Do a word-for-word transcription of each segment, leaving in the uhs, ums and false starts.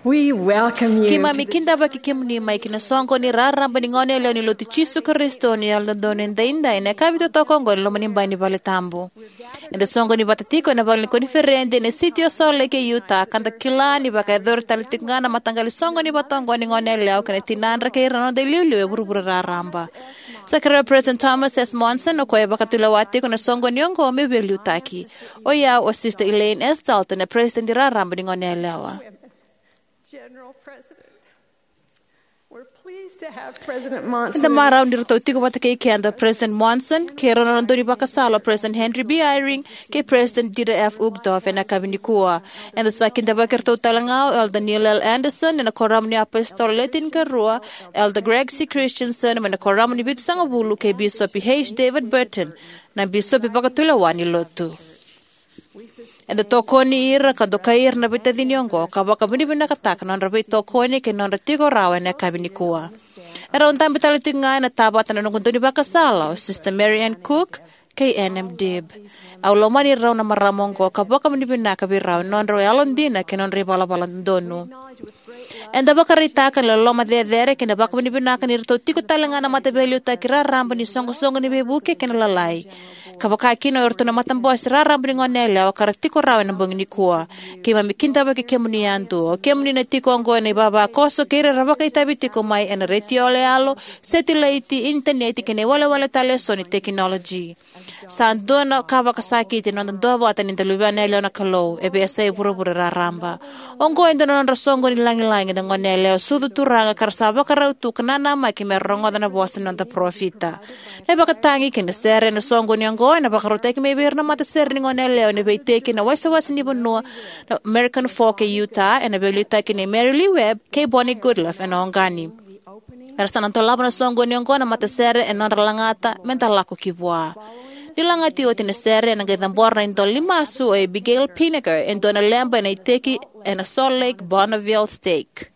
We welcome you Keimami to the kidavaki kemuni mai ki na soqo ni raraba ni gone yalewa ni Lotu Jisu Karisito ni Yalododonu Edaidai ena yakavi totoka oqo ena loma ni bai ni vale tabu. Eda soqoni vata tiko ena vale ni koniferedi ena siti o Salt Lake e Utah, ka da kila ni vakayacori tale tiko ga na mataqali soqoni vata oqo ni gone yalewa kei na tinadra kei ira na noda iliuliu e vuravura raraba. Sa kerea o President Thomas S. Monson, o koya e vakatulewa tiko na soqoni oqo, me veiliutaki. O yau o Sister Elaine S. Dalton, na President raraba ni gone yalewa. General President. We're pleased to have President Monson. Eda marau ni ratou tiko vata kei keda President Monson, kei rau na nona daunivakasala o President Henry B. Eyring, kei President Dieter F. Uchtdorf ena yakavi nikua. Eda sa kidavaki iratou tale ga o Elder Neil L. Andersen ena Kuoramu ni iApositolo Le Tinikarua, Elder Greg C. Christensen mai na Kuoramu ni Vitusagavulu, kei Bisopi H. David Burton, na bisopi vakatulewa ni Lotu. Eda tokoni ira ka dokai ira na veitacini oqo ka vakavinavinakataka na nodra veitokoni kei na nodra tiko rawa ena yakavi nikua. Erau dabe tale tiko ga ena tavata na noqu daunivakasala o Sister Mary Ann Cook kei Ann M. Dibb. Au lomani rau na marama oqo ka vakavinavinaka vei rau ena nodrau yalodina kei na nodra ivalavala dodonu. Eda vakaraitaka na loloma cecere kei na vakavinavinaka ni ratou tiko tale ga na mataveiliutaki raraba ni soqosoqo ni veivuke kei na lalai, ka vaka kina o iratou na matabose raraba ni gone yalewa ka ra tiko rawa ena bogi nikua. Keimami kidavaki kemuni yadua, o kemuni na tiko oqo ena ivavakoso kei ira era vakaitavi tiko mai ena retio yaloyalo, setilaiti, initaneti kei na iwalewale tale eso ni tekinoloji. Sa dua na ka vakasakiti ena noda duavata ni da luvena yalewa na Kalou e veiyasai vuravura raraba. Oqo e dua na nodra soqo ni lagilagi na gone yalewa sucu turaga ka ra sa vakarau tu ka nanamaki me ra rogoca na vosa ni noda parofita. Na ivakatagi kei na sere ena soqoni oqo ena vakarautaki mai vei ira na matasere ni gone yalewa ena veiteki ena wasewase ni vanua na American Fork e Utah, ena veiliutaki nei Mary Lee Webb kei Bonnie Goodlove ena Oqani. Era sa na dolava na soqoni oqo na matasere ena nodra lagata me da lako ki vua. Ni lagati oti na sere, ena qai cabora na idola ni masu o Abigail Pinniger, e dua na leba ena iteki ena Salt Lake Bonneville Stake.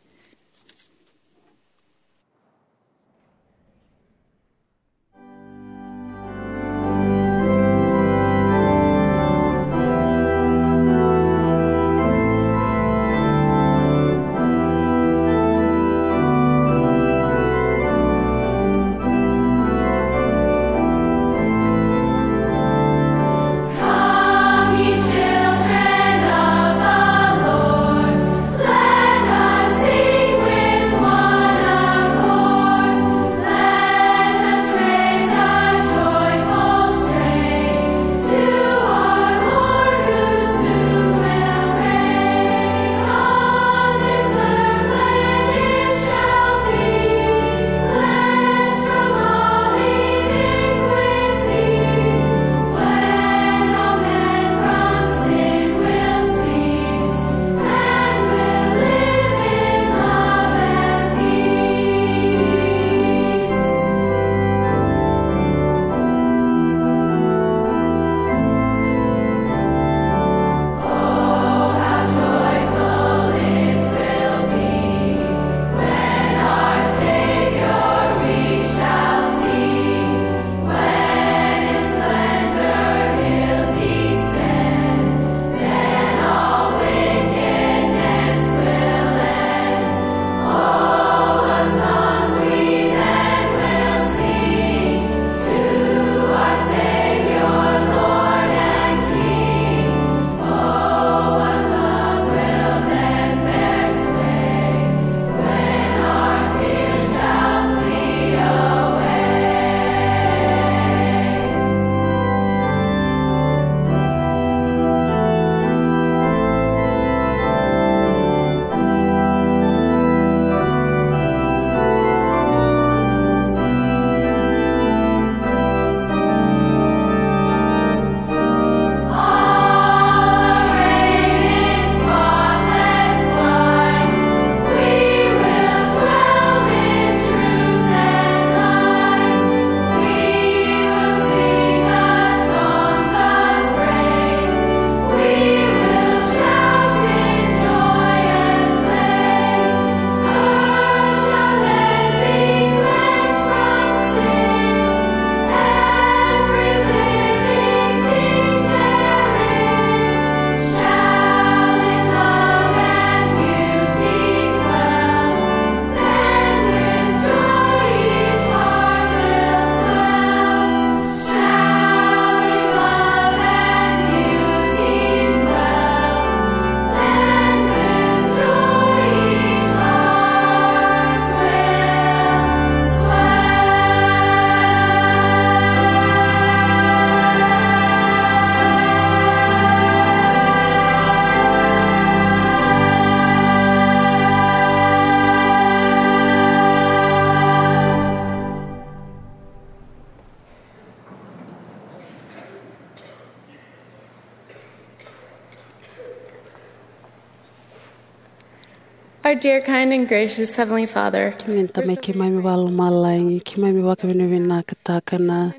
Our dear, kind, and gracious Heavenly Father, kemuni na Tamai keimami vakalomalagi, keimami vakavinavinakataka na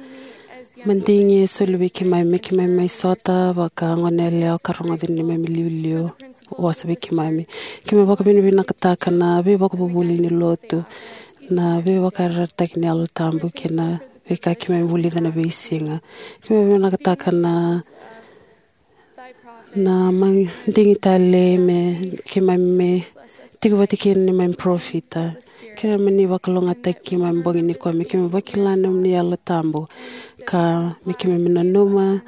madigi e soli vei keimami, me keimami mai sota vaka gone yalewa ka rogoca ni neimami iliuliu vosa vei keimami. Keimami vakavinavinakataka na veivakavuvuli ni lotu, na veivakayarayarataki ni Yalo Tabu kei na veika keimami vulica na veisiga. Keimami vinakataka na na madigi tale me keimami me tiko vata kei neimami parofita. Keimami ni vakalougatataki keimami bogi nikua me keimami vakila na nomuni Yalo Tabu, ka me keimami nanuma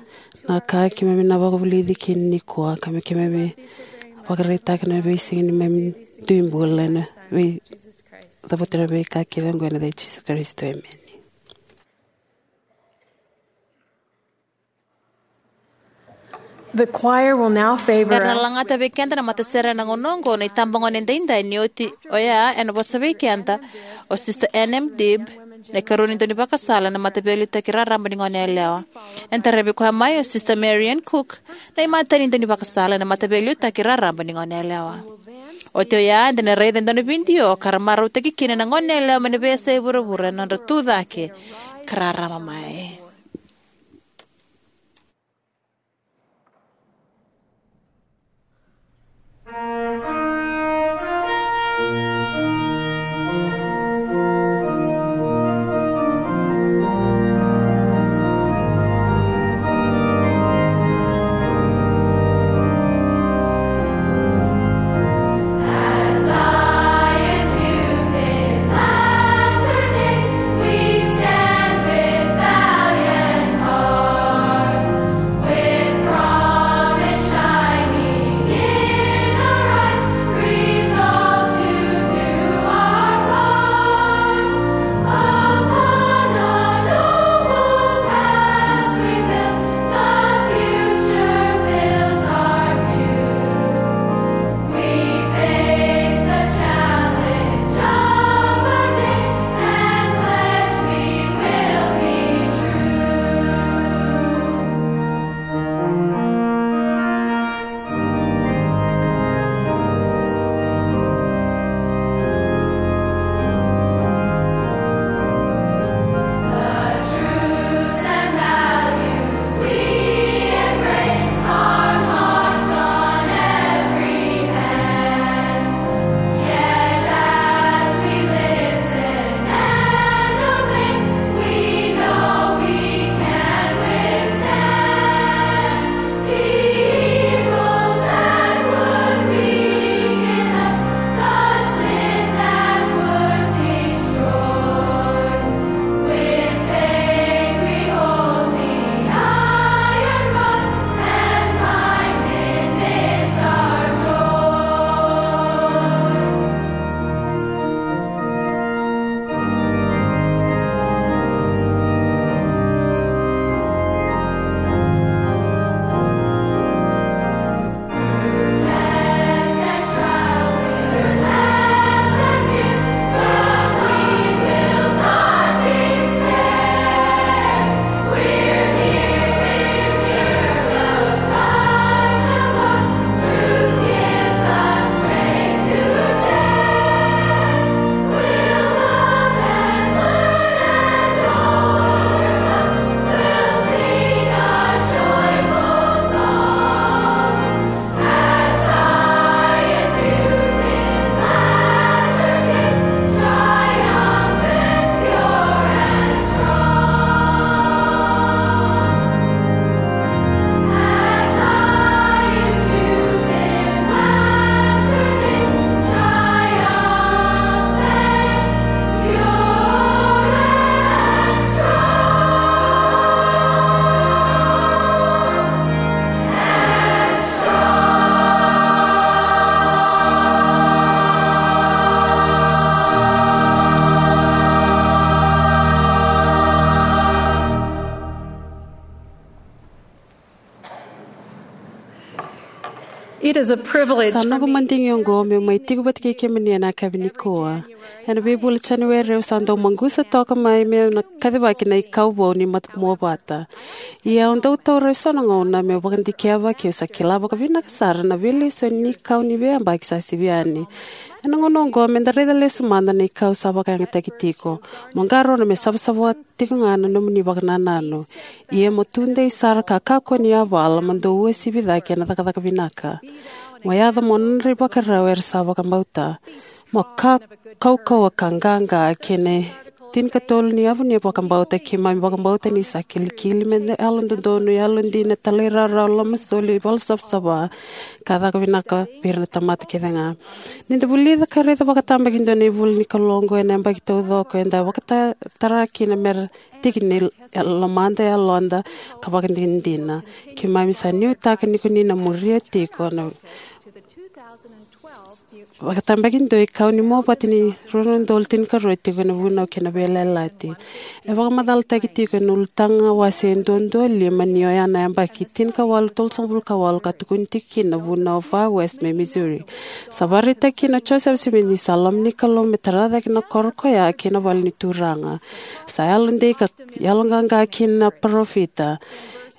na ka keimami na vakavulici kina nikua, ka me keimami vakaraitaka na veisiga ni neimami dui bula, na vei, cavuta na veika kece oqo ena yaca i Jisu Karisito, emeni. The choir will now favor us. Era na lagata vei keda na matasere ena gauna oqo na itabagone edaidai ni oti oya ena vosa vei keda o Sister Anne M. Dibb, na ikarua ni daunivakasala ena Mataveiliutaki Raraba ni Goneyalewa. Ena taravi koya mai o Sister Marian Cook, na imatai ni daunivakasala ena Mataveiliutaki Raraba ni Goneyalewa. Oti oya eda na raica e dua na vidio ka ra marautaki kina na goneyalewa mai na veiyasai vuravura ena nodra tucake ka rarama mai. It is a privilege. Sa noqu madigi oqo meu mai tiko vata kei kemuni ena yakavi nikua. Ena veivula Janueri au sa dau maqusa toka mai meu na kacivaki na ikau vou ni mat- muavata. Ia au dau taura eso na gauna meu vakadikeva ke au sa kila vakavinaka sara na veilesoni ni kau ni veiyabaki sa sivi yani. Ena gauna oqo me da raica lesu mada na ikau sa vakayagataki tiko. Mo qarauna me savasava tiko ga na nomuni vakanananu. Ia mo tudei sara ka kakua ni yavala mo dou uasivi cake ena cakacaka vinaka. Mo yaco mo nodra ivakarau era sa vakabauta. Mo ka kaukauwa ka qaqa kei na tinikatolu ni yavu ni vakabauta. Keimami vakabauta ni sa kilikili me na yalododonu, yalodina, talairawarawa, lomasoli, valasavasava, ka caka vinaka vei ira na tamata kece ga. Ni da vulica ka raica vakatabakidua na ivula ni Kalou oqo ena yabaki taucoko, eda vakatara kina mera tiki ni lomada, yaloda, ka vakadinadina. Keimami sa nuitaka ni ko ni na muria tiko na vakatabakidua ikau ni muavata ni rua na udolu tinikarua tiko na vunau kei na veiyalayalati. E vakamacalataki tiko ena Ulutaga wase duadua lima ni oya na yabaki tinikawalu tolusagavulu ka walu ka tukuni tiko kina na vunau o Far West mai Missouri. Sa vakaraitaki kina o Joseph Smith ni sa loma ni Kalou me tara cake na koro koya kei na vale ni Turaga. Sa yalodei ka yaloqaqa kina na parofita.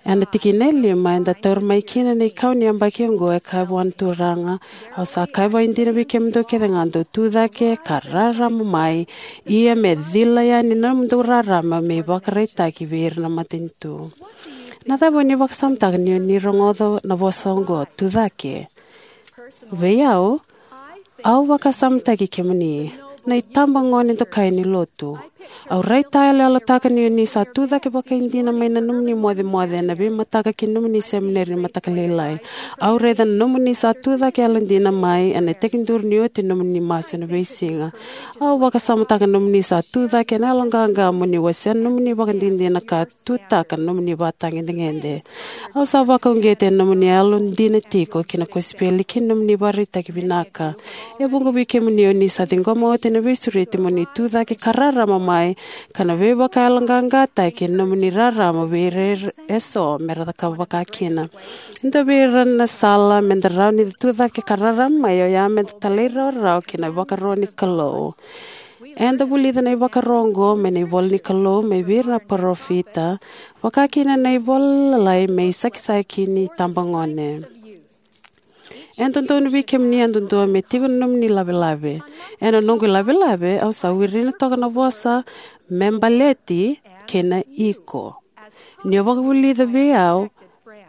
Ena tikina e lima eda taura mai kina na ikau ni yabaki oqo, e kaya vua na Turaga: Au sa kaya vakaidina vei kemudou kece ga, dou tu cake ka rarama mai, ia me cila yani na nomudou rarama me ivakaraitaki vei ira na matanitu. Na cava o ni vakasamataka ni o ni rogoca na vosa oqo, tu cake? Vei au, au vakasamataki kemuni na itabagone dokai ni lotu. Au raitayaloyalotaka ni o ni sa tu cake vakaidina mai na nomuni mocemoce ena veimataka ki na nomuni semineri ni mataka lailai. Au raica na nomuni sa tu cake yalodina mai ena tekiduru ni oti na nomuni masu ena veisiga. Au vakasamataka na nomuni sa tu cake ena yaloqaqa mo ni wasea na nomuni vakadinadina ka tutaka na nomuni vatagedegede. Au sa vakauqeti ena nomuni yalodina tiko ki na kosipeli kei na nomuni ivakaraitaki vinaka. E vuqa vei kemuni o ni sa ciqoma oti na veisureti mo ni tu cake ka rarama mai, ka na veivakayaloqaqataki ena nomuni rarama vei ira eso mera cakava vakakina. E dua vei ira na sala meda rawa ni tu cake ka rarama mai oya meda talairawarawa ki na ivakaro ni Kalou. Eda vulica na ivakaro oqo mai na ivola ni Kalou mai vei ira na parofita, vakakina na ivola lalai mai Sakisaki ni itabagone. E dodonu vei kemuni yadudua me tiko na nomuni lavelave. Ena noqu ilavelave au sa wirina toka na vosa me baleti kei na iko. Ni o vakavulica vei au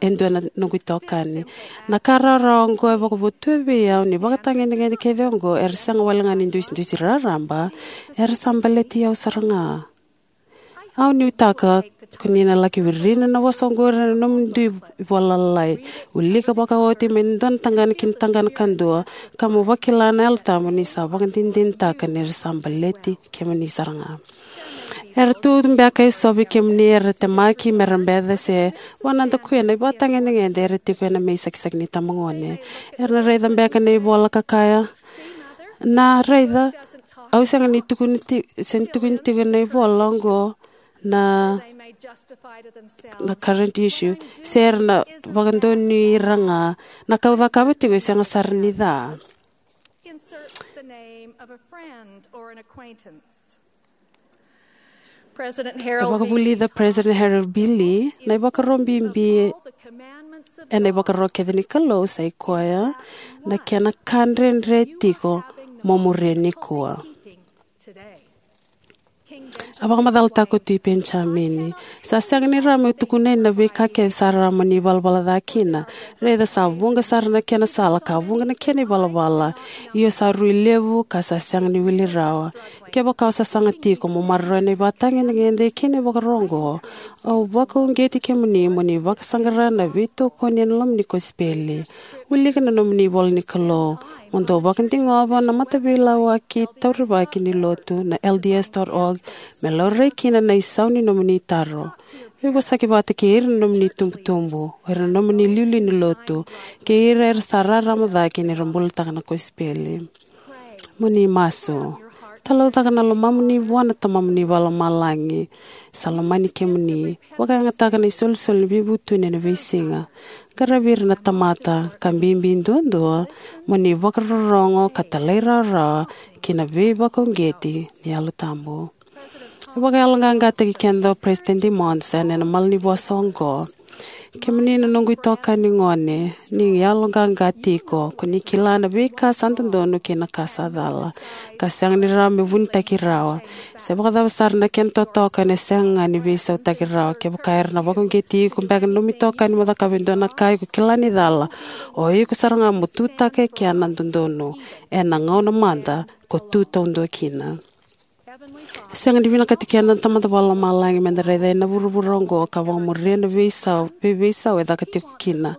e dua na noqu itokani. Na ka rawarawa oqo e vakavotuya vei au ni vakatagedegede kece oqo era sega wale ga ni dusidusi raraba, era sa baleti au sara ga. Au nuitaka ko ni na laki wirina na vosa oqori ena nomuni dui ivola lalai. Wilika vakaoti mai na dua na tagane ki na tagane kadua, ka mo vakila na Yalo Tabu ni sa vakadinadinataka ni ra sa baleti kemuni sara ga. Era tu beka eso vei kemuni era temaki mera beca se vanadakuya na ivakatagedegede era tiko ena mai Sakisaki ni itabagone. Era na raica beka na ivola ka kaya, na raica, au sega ni tukuni ti- se ni tukuni tiko na ivola oqo na, na current issue, se era na vakadonui ira ga na ka au cakava tiko e sega sara ni ca. Insert the name of a friend or an acquaintance. President E Harold B. vakavulica President Harold B. Lee na ivakaro bibi ena ivakaro kece ni Kalou sa i koya na kena ka dredre tiko mo muria nikua. A vakamacalataka o Tui Penijamini, sa sega ni rawa meu tukuna yani na veika kece sa rawa mo ni valavala ca kina. Raica sa vuqa sara na kena sala ka vuqa na kena ivalavala, ia sa rui levu ka sa sega ni wili rawa. Kevaka o sasaga tiko mo maroroya na ivakatagedegede kei na ivakaro oqo, au vakauqeti kemuni mo ni vakasaqara na veitokoni ena loma ni kosipeli. Wilika na nomuni ivola ni Kalou, mo dou vakadigova na mataveilawaki taurivaki ni lotu na L D S dot org me laurai kina na isau ni nomuni taro. Veivosaki vata kei ira na nomuni itubutubu, o ira na nomuni iliuliu ni lotu, kei ira era sa rarama cake ni ra bulataka na kosipeli. Mo ni masu. Talaucaka na lomamuni vua na Tamamuni Vakalomalagi, sa lomani kemuni. Vakayagataka na isolisoli ni veivutuni ena veisiga. Qaravi ira na tamata, ka bibi duadua mo ni vakarorogo ka talairawarawa ki na veivakauqeti ni Yalo Tabu. E vakayaloqaqataki keda o Peresitedi Monson ena malanivosa oqo: Kemuni na noqu itokani gone, ni yaloqaqa tiko, ko ni kila na veika sa dodonu kei na ka sa cala, ka sega ni rawa me vunitaki rawa. Se vakacava sara na kena totoka, ena sega ga ni veisautaki rawa. Kevaka era na vakauqeti iko beka na nomu itokani mo cakava e dua na ka iko kila ni cala, o iko sara ga mo tutaka e kea na dodonu, ena gauna mada ko tu taudua kina. Sega ni vinakati keda na Tamada Vakalomalagi meda raica yani na vuravura oqo ka vakamuria na veisau, vei, veisau e caka tiko kina.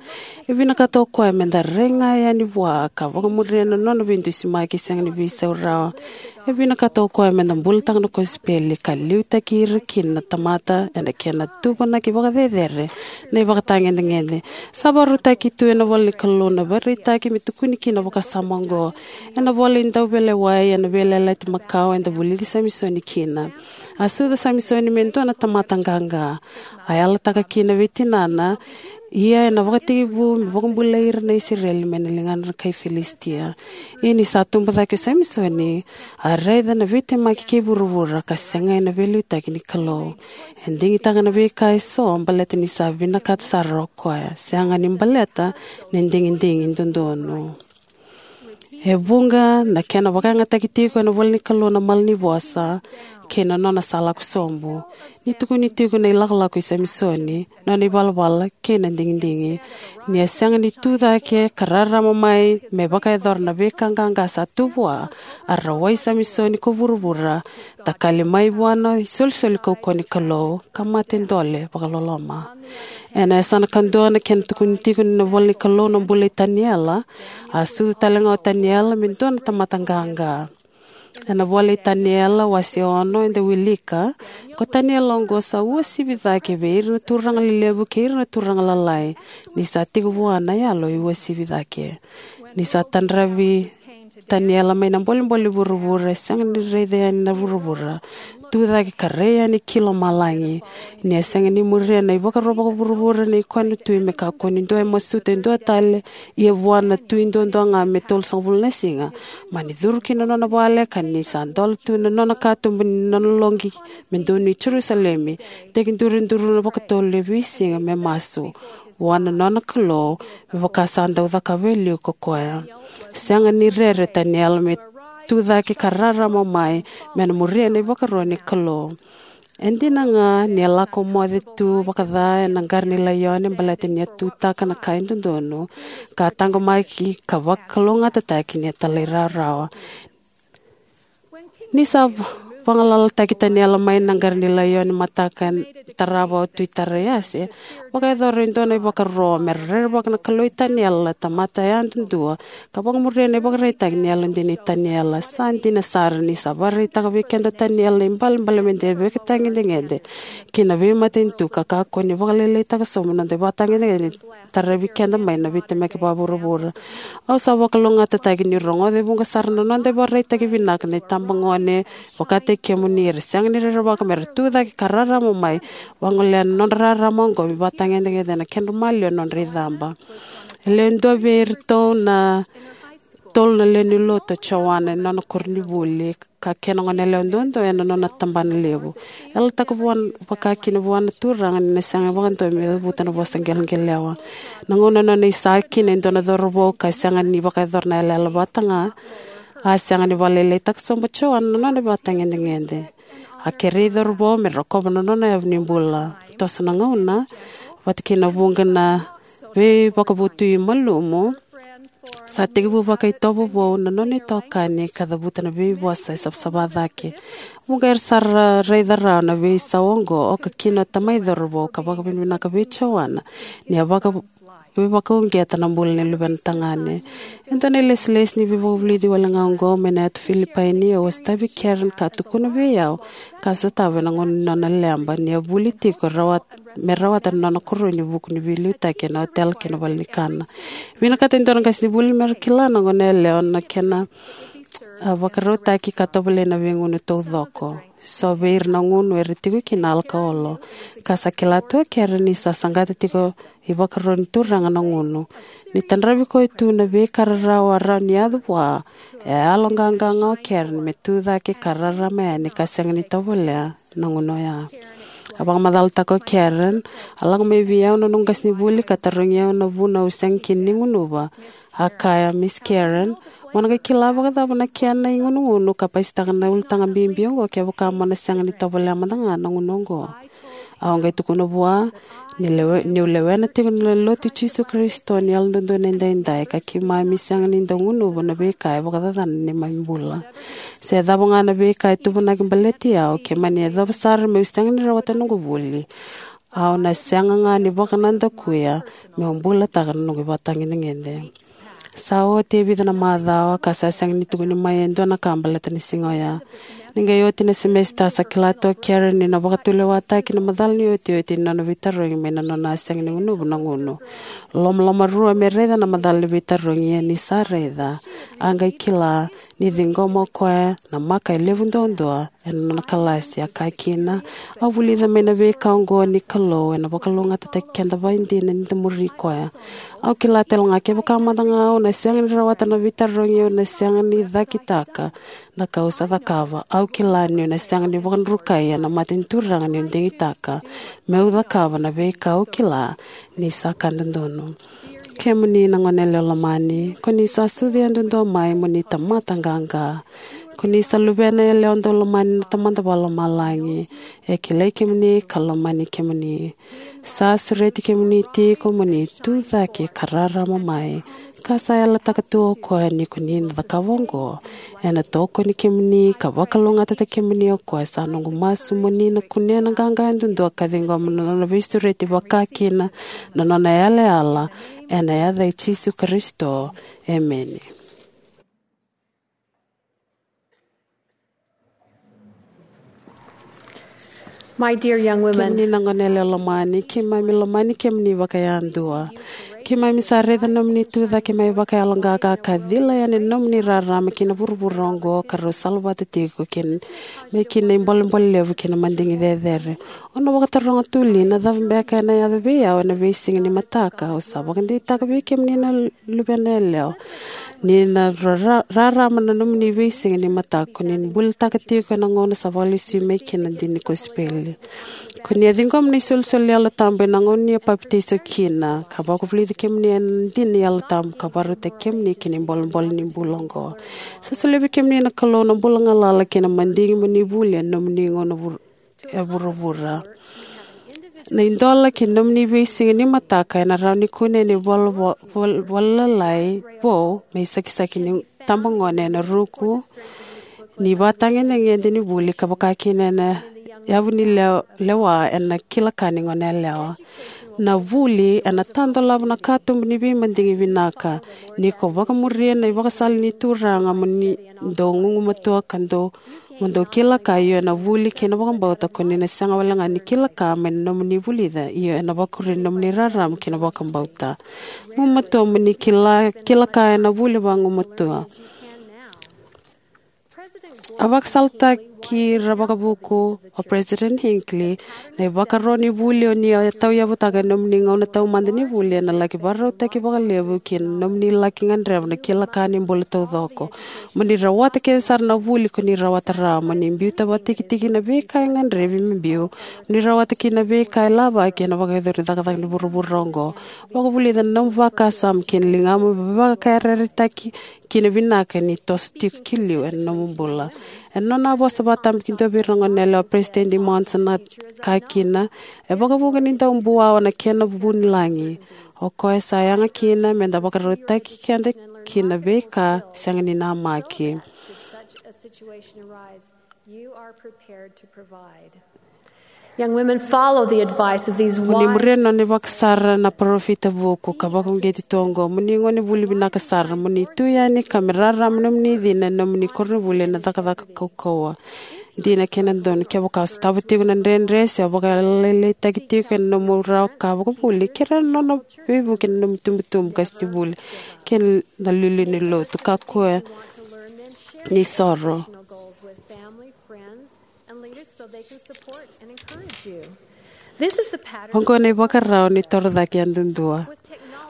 E vinakata o koya meda rai ga yani vua ka vakamuria na nona veidusimaki sega ni veisau rawa. E vinakata o koya meda bulataka na kosipeli ka liutaki ira kina na tamata ena kena tuvanaki vakacecere na ivakatagedegede. Sa vakarautaki tu ena ivola ni Kalou na ivakaraitaki me tukuni kina na vakasama oqo. Ena ivola ni Dauveilewai, ena Veiyalayalati Makawa, eda vulici Samisoni kina. A sucu o Samisoni me dua na tamata qaqa. A yalataka kina vei tinana, ia ena vakatekivu me vakabulai ira na Isireli mai na ligana na kai Filisitia. Ia ni sa tubu cake o Samisoni, a raica na veitemaki kei vuravura ka sega ena veiliutaki ni Kalou. E digitaka na veika eso baleta ni sa vinakata sara o koya, sega ni baleta na digidigi dodonu. E vuqa na kena vakayagataki tiko ena ivola ni Kalou na malanivosa kei na nona sa lako sobu. Ni tukuni tiko na ilakolako i Samisoni, nona ivalavala kei na digidigi. Ni a sega ni tu cake ka rarama mai me vakayacora na veika qaqa sa tu vua, a rawai Samisoni ko vuravura, takali mai vua na isolisoli kaukauwa ni Kalou, ka mate dole vakaloloma. Ena yasana kadua na kena tukuni tiko ni ivola ni Kalou na bula i Taniela. A sucu tale ga o Taniela me dua na tamata qaqa. Ena ivola i Taniela wase ono eda wilika, ko Taniela oqo sa uasivi cake vei ira na turaga lelevu kei ira na turaga lalai, ni sa tiko vua na yalo e uasivi cake. Ni sa tadravi Taniela mai na bolebole ni vuravura, e sega ni raica yani na vuravura, tu cake ka rai yani ki lomalagi. Ni a sega ni muria na ivakaro vakavuravura nei koya na tui me kakua ni dua e masuta e dua tale, ia vua na tui duadua ga me tolusagavulu na siga, mani curu ki na nona vale, ka ni sa dola tu na nona katuba ni nona loqi me donui Jerusalemi, tekiduriduru na vakatolu e veisiga me masu vua na nona Kalou, me vaka sa dau cakava e liu ko koya. Sega ni rere o Taniela me tu cake ka rarama mai me na muria na ivakaro ni Kalou. E dina ga ni a lako moce tu vakaca ena qara ni laione baleta ni a tutaka na ka e dodonu, ka taqomaki ka vakalougatataki ni a talairawarawa. Ni sa vagalalataki Taniela mai na qara ni laione mataka e tarava o Tui Taraiase, vakayacora e dua na ivakaro me ra rerevaka na Kalou i Taniela, na tamata yadudua, ka vakamuria na ivakaraitaki ni yalodina i Taniela. Sa dina sara ni sa vakaraitaka vei keda o Taniela na ibalebale meda ivakatagedegede ki na veimatanitu, ka kakua ni vakalailaitaka sobu na noda ivakatagedegede ni taravi keda mai na veitemaki vakavuravura. Au sa vakalougatataki niu rogoca e vuqa sara na noda ivakaraitaki vinaka na itabagone vakataki kemuni, era sega ni rerevaka me ra tu cake ka rarama mai, vagolea na nodra rarama oqo me vakatagedegede ena kedra maliwa na nodra icaba. E lewe dua vei iratou na tolu na lewe ni lotu o Joana ena nona koronivuli, ka kena goneyalewa duadua ena nona tabana levu. E yalataka vua, vaka kina vua na Turaga ni na sega vakadua me cavuta na vosa qeleqelewa. Na gauna nona isaki kina e dua na cauravou ka sega ni vakayacora na yalayala vata ga, a sega ni vakalailaitaka sobu o Joana na nona ivakatagedegede. A kerei cauravou me rokova na nona yavu ni bula. Toso na gauna, vata kei na vuqa na veivakavotui malumu, sa tekivu vakaitovo vou na nona itokani ka cavuta na veivosa e savasava cake. Vuqa era sa ra-, raica rawa na veisau oqo, oka kina o tamai cauravou, ka vakavinavinaka vei Joana ni a vaka-, veivakauqeta na bula ni luvena tagane. E dua na ilesilesi ni veivakavulici wale ga oqo mai na yatu Filipaini, au a sotavi Karen ka tukuna vei au, ka sotava ena gauna ni nona leba, ni a vuli tiko rawa me rawata na nona koroi ni vuku ni veiliutaki ena otela kei na valenikana. Vinakata e dua na qasenivuli me ra kila na goneyalewa na kena a vakarautaki ka tovolei na veigunu taucoko, so vei ira na gunu era tiko kina alakaolo. Ka sa kila tu o Karen ni sa saqata tiko ivakaro ni Turaga na gunu. Ni tadravi koya tu na veika rarawa a rawa ni yaco vua, e a yaloqaqa ga o Karen me tu cake ka rarama yani ka sega ni tovolea na gunu oya. A vakamacalataka o Karen, a lako mai vei au na noqu qasenivuli ka tarogi au na vuna au sega kina ni gunuva. A kaya, "Miss Karen, mo na qai kila vakacava na kena igunugunu ka pasitaka na ulutaga bibi oqo kevaka mo na sega ni tovolea mada ga na gunu oqo?" Au qai tukuna vua ni lewe, niu lewena tiko na Lotu i Jisu Karisito ni Yalododonu Edaidai, ka keimami sega ni dau gunuva na veika e vakacacana na neimami bula. Se cava ga na veika e tuvunaki baleti au, ke mani yacova sara meu sega ni rawata noqu vuli, au na sega ga ni vakanadakuya meu bulataka na noqu ivakatagedegede. Sa oti e vica na macawa ka sa sega ni tukuni mai e dua na ka baleta na siga oya. Ni qai oti na semesita, sa kila tu o Karen ni na vakatulewataki na macala ni otioti ni nona veitarogi mai na nona a sega ni gunuva na gunu. Lomalomarua me raica na macala ni veitarogi, ia ni sa raica, a qai kila ni ciqoma o koya na maka e levu duadua ena nona kalasi. A kaya kina, "Au vulica mai na veika oqo ni Kalou ena vakalougatataki keda vakaidina ni da muri koya. Au kila tale ga kevaka mada ga au na sega ni rawata na veitarogi, au na sega ni cakitaka na ka au sa cakava. Au kila niu na sega ni vakadrukai ena mata ni Turaga niu digitaka meu cakava na veika au kila ni sa ka dodonu." Kemuni na gone yalewa lomani, ko ni sa sucu yadudua mai mo ni tamata qaqa. Ko ni sa luvena yalewa daulomani na Tamada Vakalomalagi. E kilai kemuni ka lomani kemuni. Sa sureti kemuni tiko mo ni tu cake ka rarama mai. Ka sa yalataka tu o koya ni ko ni na cakava oqo, ena tokoni kemuni ka vakalougatataki kemuni o koya. Sa noqu masu mo ni na kunea na qaqa yadudua ka ciqoma na nona veisureti vakakina na nona yalayala, ena yaca i Jisu Karisito. Emeni. My dear young women, kemuni na gone yalewa lomani, keimami lomani kemuni vakayadua. Keimami sa raica nomuni tu cake mai vakayaloqaqa ka cila yani na nomuni rarama ki na vuravura oqo ka rau salavata tiko kina, mai kina ibolebole levu kei na madigi cecere. O na vakataroga, "Tuli, na cava beka ena yaco vei au ena veisiga ni mataka? Au sa vakadeitaka vei kemuni na luvena yalewa ni na ra-, ra-, rarama na nomuni veisiga ni mataka, ko ni bulataka tiko ena gauna sa vakalesui mai kina na dina ni kosipeli. Ko ni a ciqoma na isolisoli ni Yalo Tabu ena gauna ni a papitaiso kina, ka vakavulici kemuni ena dina ni Yalo Tabu, ka vakarautaki kemuni ki na ibolebole ni bula oqo." Sa solia vei kemuni na Kalou na bula galala kei na madigi mo ni vuli ena nomuni gauna vur-, e vuravura. Na idola ki na nomuni veisiga ni mataka ena rawa ni kune ena ivola vo-, vol-, volalalai vou, me isakisaki ni tabagone ena ruku ni ivakatagedegede ni vuli, ka vaka kina ena yavu ni le-, lewa ena kila ka ni gone yalewa. Na vuli ena tadolava na katuba ni veimadigi vinaka. Ni ko vakamuria na ivakasala ni Turaga mo ni dau gugumatua ka dau, mo dau kila ka, io ena vuli kei na vakabauta, ko ni na sega wale ga ni kila ka mai na nomuni vulica, io ena vakuri na nomuni rarama kei na vakabauta. Gumatua mo ni kila, kila ka ena vuli vagumatua. A vakasalataki ira vakavuku o President Hinckley, na ivakaro ni vuli o ni a tauyavutaka ena nomuni gauna taumada ni vuli ena laki vakarautaki vakalevu ki na nomuni laki gadreva na kila ka ni bula taucoko. Mo ni rawata kece sara na vuli ko ni rawata rawa, mo ni biuta vakatikitiki na veika e gadrevi me biu, mo ni rawata kina na veika e lavaki ena vakayacori cakacaka ni vuravura oqo. Vakavulica na nomu vakasama kei na ligamu me vakayarayarataki kina vinaka ni toso tiko ki liu ena nomu bula. Ena nona a vosa vakatabakidua vei ira na gone yalewa, o President Monson a kaya kina, e vakavuqa ni dau buawa na kena vu ni lagi. O koya sa yaga kina me da vakarautaki keda ki na veika sega ni namaki. Should such a situation arise, you are prepared to provide. Young women, follow the advice of these wise. Mo ni muria na nona ivakasara na parofita vuku ka vakauqeti tu oqo. Mo ni gone vuli vinaka sara, mo ni tu yani ka me rarama na nomuni cina ena nomuni koronivuli ena cakacaka kaukauwa. Dina kei na donu, kevaka o sotava tiko na dredre se o vakalailaitaki tiko ena nomu rawa ka vakavuli, kerea na nona veivuke na nomu itubutubu qasenivuli kei na iliuliu ni lotu. Kakua ni soro. Oqo na ivakarau ni toro cake yadudua.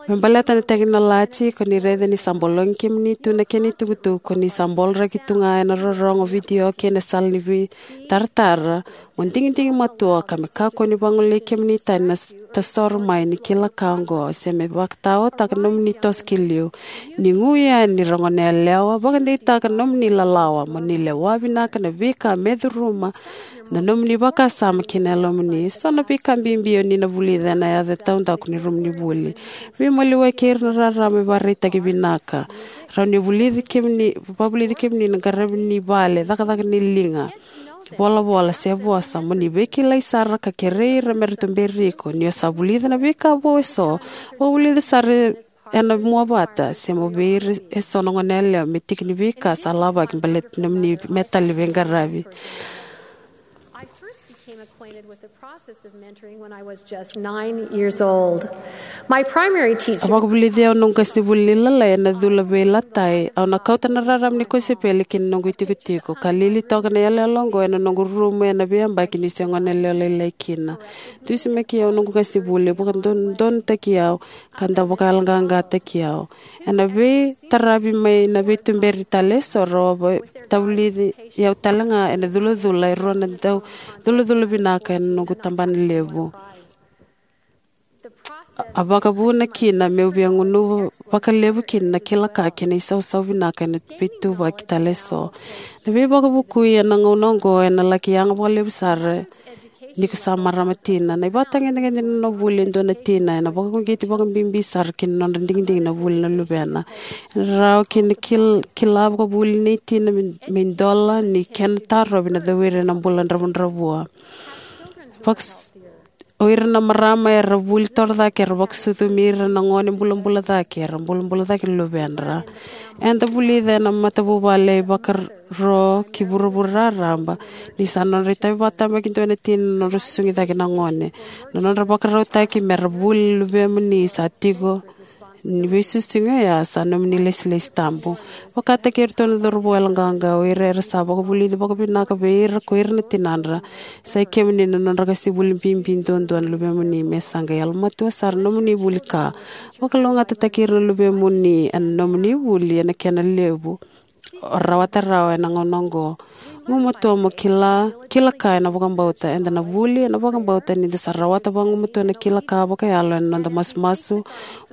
Me baleta na tekinoloji, ko ni raica ni sa bologi kemuni tu na kena itukutuku, ko ni sa boloraki tu ga ena rorogo, vidio kei na sala ni veitaratara. Mo digidigi matua ka me kakua ni vagolei kemuni tani na s- tasoro mai ni kila ka oqo, se me vakataotaka nomuni toso ki liu. Ni gu yani ni ra goneyalewa, vakadeitaka nomuni lalawa mo ni lewa vinaka na veika me curuma na nomuni vakasama kei na yalomuni. So na veika bibi o ni na vulica ena yaco e taudaku ni rumu ni vuli. Veimaliwai kei ira na rarama me vakaraitaki vinaka. Rawa ni vulici kemuni, vavulici kemuni na qaravi ni vale, cakacaka ni liga, volavola se vosa, mo ni veikilai sara ka kerei ira me ra tuberi iko. Ni o sa vulica na veika vou eso, vavulici sara ena mua vata, se mo vei ira eso na goneyalewa me tiki ni veika sa lavaki baleti nomuni metali veiqaravi. I first became acquainted with the process of mentoring when I was just nine years old. My primary A teacher vakavulici au noqu qasenivuli ni lalai ena cula veilatai. Au na kauta na rarama ni kosipeli ki na noqu itikotiko, ka lili toka na iyaloyalo oqo ena noqu rumu ena veiyabaki niu se goneyalewa lailai kina. Dusimaki au noqu qasenivuli, vakadodonutaki au, ka dau vakayaloqaqataki au. Ena veitaravi mai na veituberi tale eso, rau a vakavulici au tale ga ena culacula e rua na dau culacula vinaka ena noqu tabana levu. A vakavuna kina meu via gunuva vakalevu kina na kila ka kei na isausau vinaka ena veituvaki tale eso. Na veivakavukui ena gauna oqo ena laki yaga vakalevu sara ni ko sa marama tina. Na ivakatagedegede ni nona vuli e dua na tina ena vakauqeti vakabibi sara ki na nodra digidigi na vuli na luvena. Ena rawa kina kil- kila vakavuli nei tina me, me idola ni kena tarovi na cowiri ena bula dravudravua. Vaks- O ira na marama era vuli torocake era vakasucumi ira na gone bulabula cake, era bulabula cake na luvedra. Eda vulica ena matavuvale e ivakaro ki vuravura raraba ni sa nodra itavi vakatabakidua na tina na nodra susugi cake na gone. Na nodra vakarautaki me ra vuli na luvemuni sa tiko ni veisusugi oya sa nomuni ilesilesi tabu. Vakataki iratou na cauravou yaloqaqa, o ira era sa vakavulici vakavinaka vei ira ko ira na tinadra. Sa i kemuni na nodra qasenivuli bibi duadua na luvemuni, me sa qai yalomatua sara na nomuni vuli ka. Vakalougatataki ira na luvemuni ena nomuni vuli ena kena levu o rawata rawa ena gauna oqo. Gumatua mo kila, kila ka ena vakabauta. Eda na vuli ena vakabauta ni da sa rawata vagumatua na kila ka vakayalo ena noda masumasu,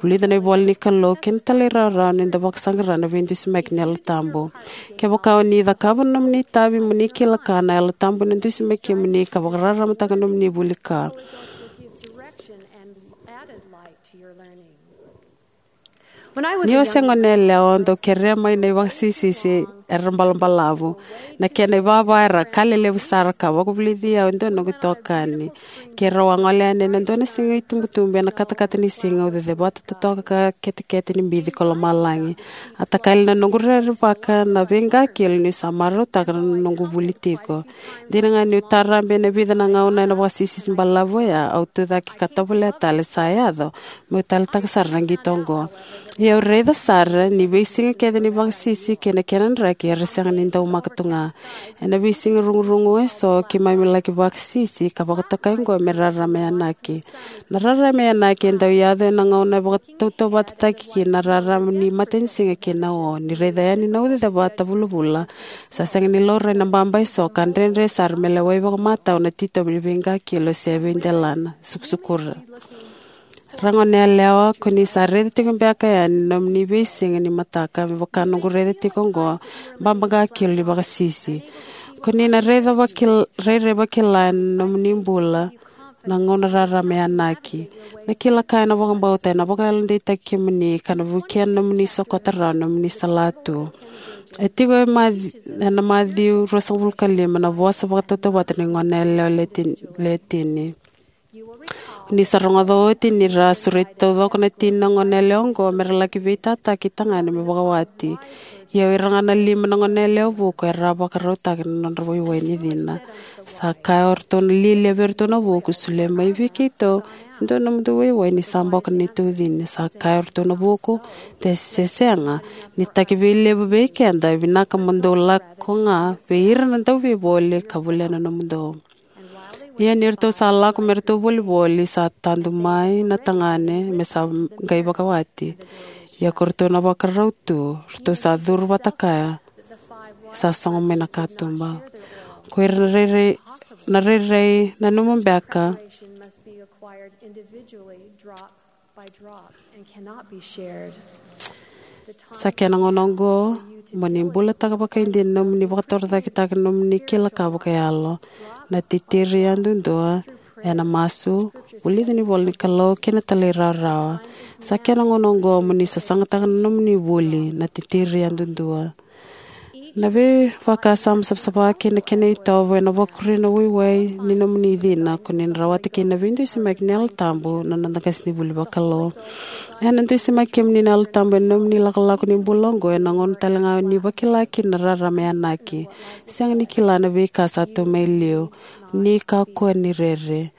vulica na ivola ni Kalou, kei na talairawarawa ni da vakasaqara na veidusimaki ni Yalo Tabu. Kevaka o ni cakava na nomuni itavi mo ni kila ka, na Yalo Tabu ena dusimaki kemuni ka vakararamataka na nomuni vuli ka. Ni o se goneyalewa, au dau kerea mai na ivakasisisi era balabalavu. Na kena ivava era ka lelevu sara ka vakavulici au e dua na noqu itokani. Keirau a gole yani ena dua na siga itubutubu ena katakata ni siga, au cecevata totoka ka ketekete ni bici ko lomalagi. A takali na noqu rerevaka na veiqakilo niu sa marautaka na noqu vuli tiko. Dina ga niu tarabe ena vica na gauna ena vakasisisi balavu oya, au tucake ka tovolea tale sa yaco meu taleitaka sara na qito oqo. Ia au raica sara ni veisiga kece ni vakasisisi kei na kena draki era sega ni daumaka tu ga. Ena veisiga rugurugu eso keimami laki vakasisisi ka vakatokai oqo me rarama yanaki. Na rarama yanaki e dau yaco ena gauna e vakatautauvatataki kina na rarama ni matanisiga kei na o. Ni raica yani na uca cevata vulavula, sa sega ni laurai na baba eso ka dredre sara me lewai vakamatau na titobu ni veiqakilo se veidelana. Sukusukura. Ra goneyalewa, ko ni sa raica tiko beka yani na nomuni veisiga ni mataka me vaka noqu raica tiko oqo, baba qakilo ni vakasisi. Ko ni na raica vakil- rairai vakila ena nomuni bula na gauna rarama yanaki. Na kila ka ena vakabauta ena vakayalodeitaki kemuni ka na vukea na nomuni sokota rawa na nomuni salatu. E tiko e Maci- ena Maciu ruasagavulu ka lima na vosa vakatautauvata ni goneyalewa le tin- le tini. Ni sa rogoca oti ni ra sureti taucoko na tini na goneyalewa oqo me ra laki veitataki tagane me vakawati. Ia o ira ga na lima na goneyalewa vuku era a vakarautaka na nodra waiwai ni cina. Sa kaya o ratou na lialia vei iratou na vuku, solia mai vei keitou dua na nomudou waiwai ni sa boka ni tucini. Sa kaya o ratou na vuku, de se sega, ni taki vei levu vei keda, e vinaka mo dou lako ga vei ira na dauveivoli ka volia na nomudou. Ia ni ratou sa lako me ratou volivoli, sa tadu mai na tagane me sa qai vakawati. Ia ko ratou na vakarau tu, ratou sa curu vata kaya, sa sogo mai na katuba. Ko ira na rairai, na rairai, nanuma beka, sa kena gauna oqo mo ni bulataka vakaidina na nomuni vakatorocaketaka na nomuni kila ka vakayalo. Na titiri yadudua ena masu, vulica ni ivola ni Kalou kei na talairawarawa. Sa kena gauna oqo mo ni sasagataka na nomuni vuli, na titiri yadudua. Na veivakasama savasava kei na kena itovo ena vakuria na waiwai ni nomuni cina, ko ni na rawata kina na veidusimaki ni Yalo Tabu na noda qasenivuli vakalou. Ena dusimaki kemuni na Yalo Tabu ena nomuni lakolako ni bula oqo, ena gauna tale ga ni vakila kina na rarama e yanaki. Sega ni kila na veika sa tu mai liu, ni kakua ni rere.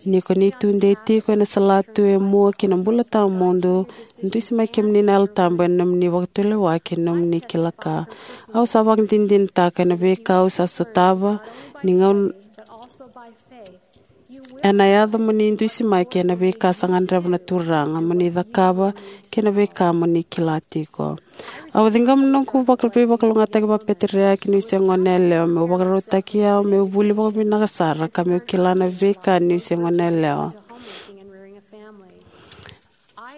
Ni ko ni tudei tiko ena salatu e mua ki na bula tawamudu, dusimaki kemuni na Yalo Tabu ena nomuni vakatulewa kei na nomuni kila ka. Au sa vakadinadinataka ena veika au sa sotava, ni gauna ena yaco mo ni dusimaki ena veika sa gadreva na Turaga mo ni cakava, kei na veika mo ni kila tiko. Au ciqoma na noqu vaka-, veivakalougatataki vakapeteriaki niu se goneyalewa, meu vakarautaki au meu vuli vakavinaka sara ka meu kila na veika niu se goneyalewa.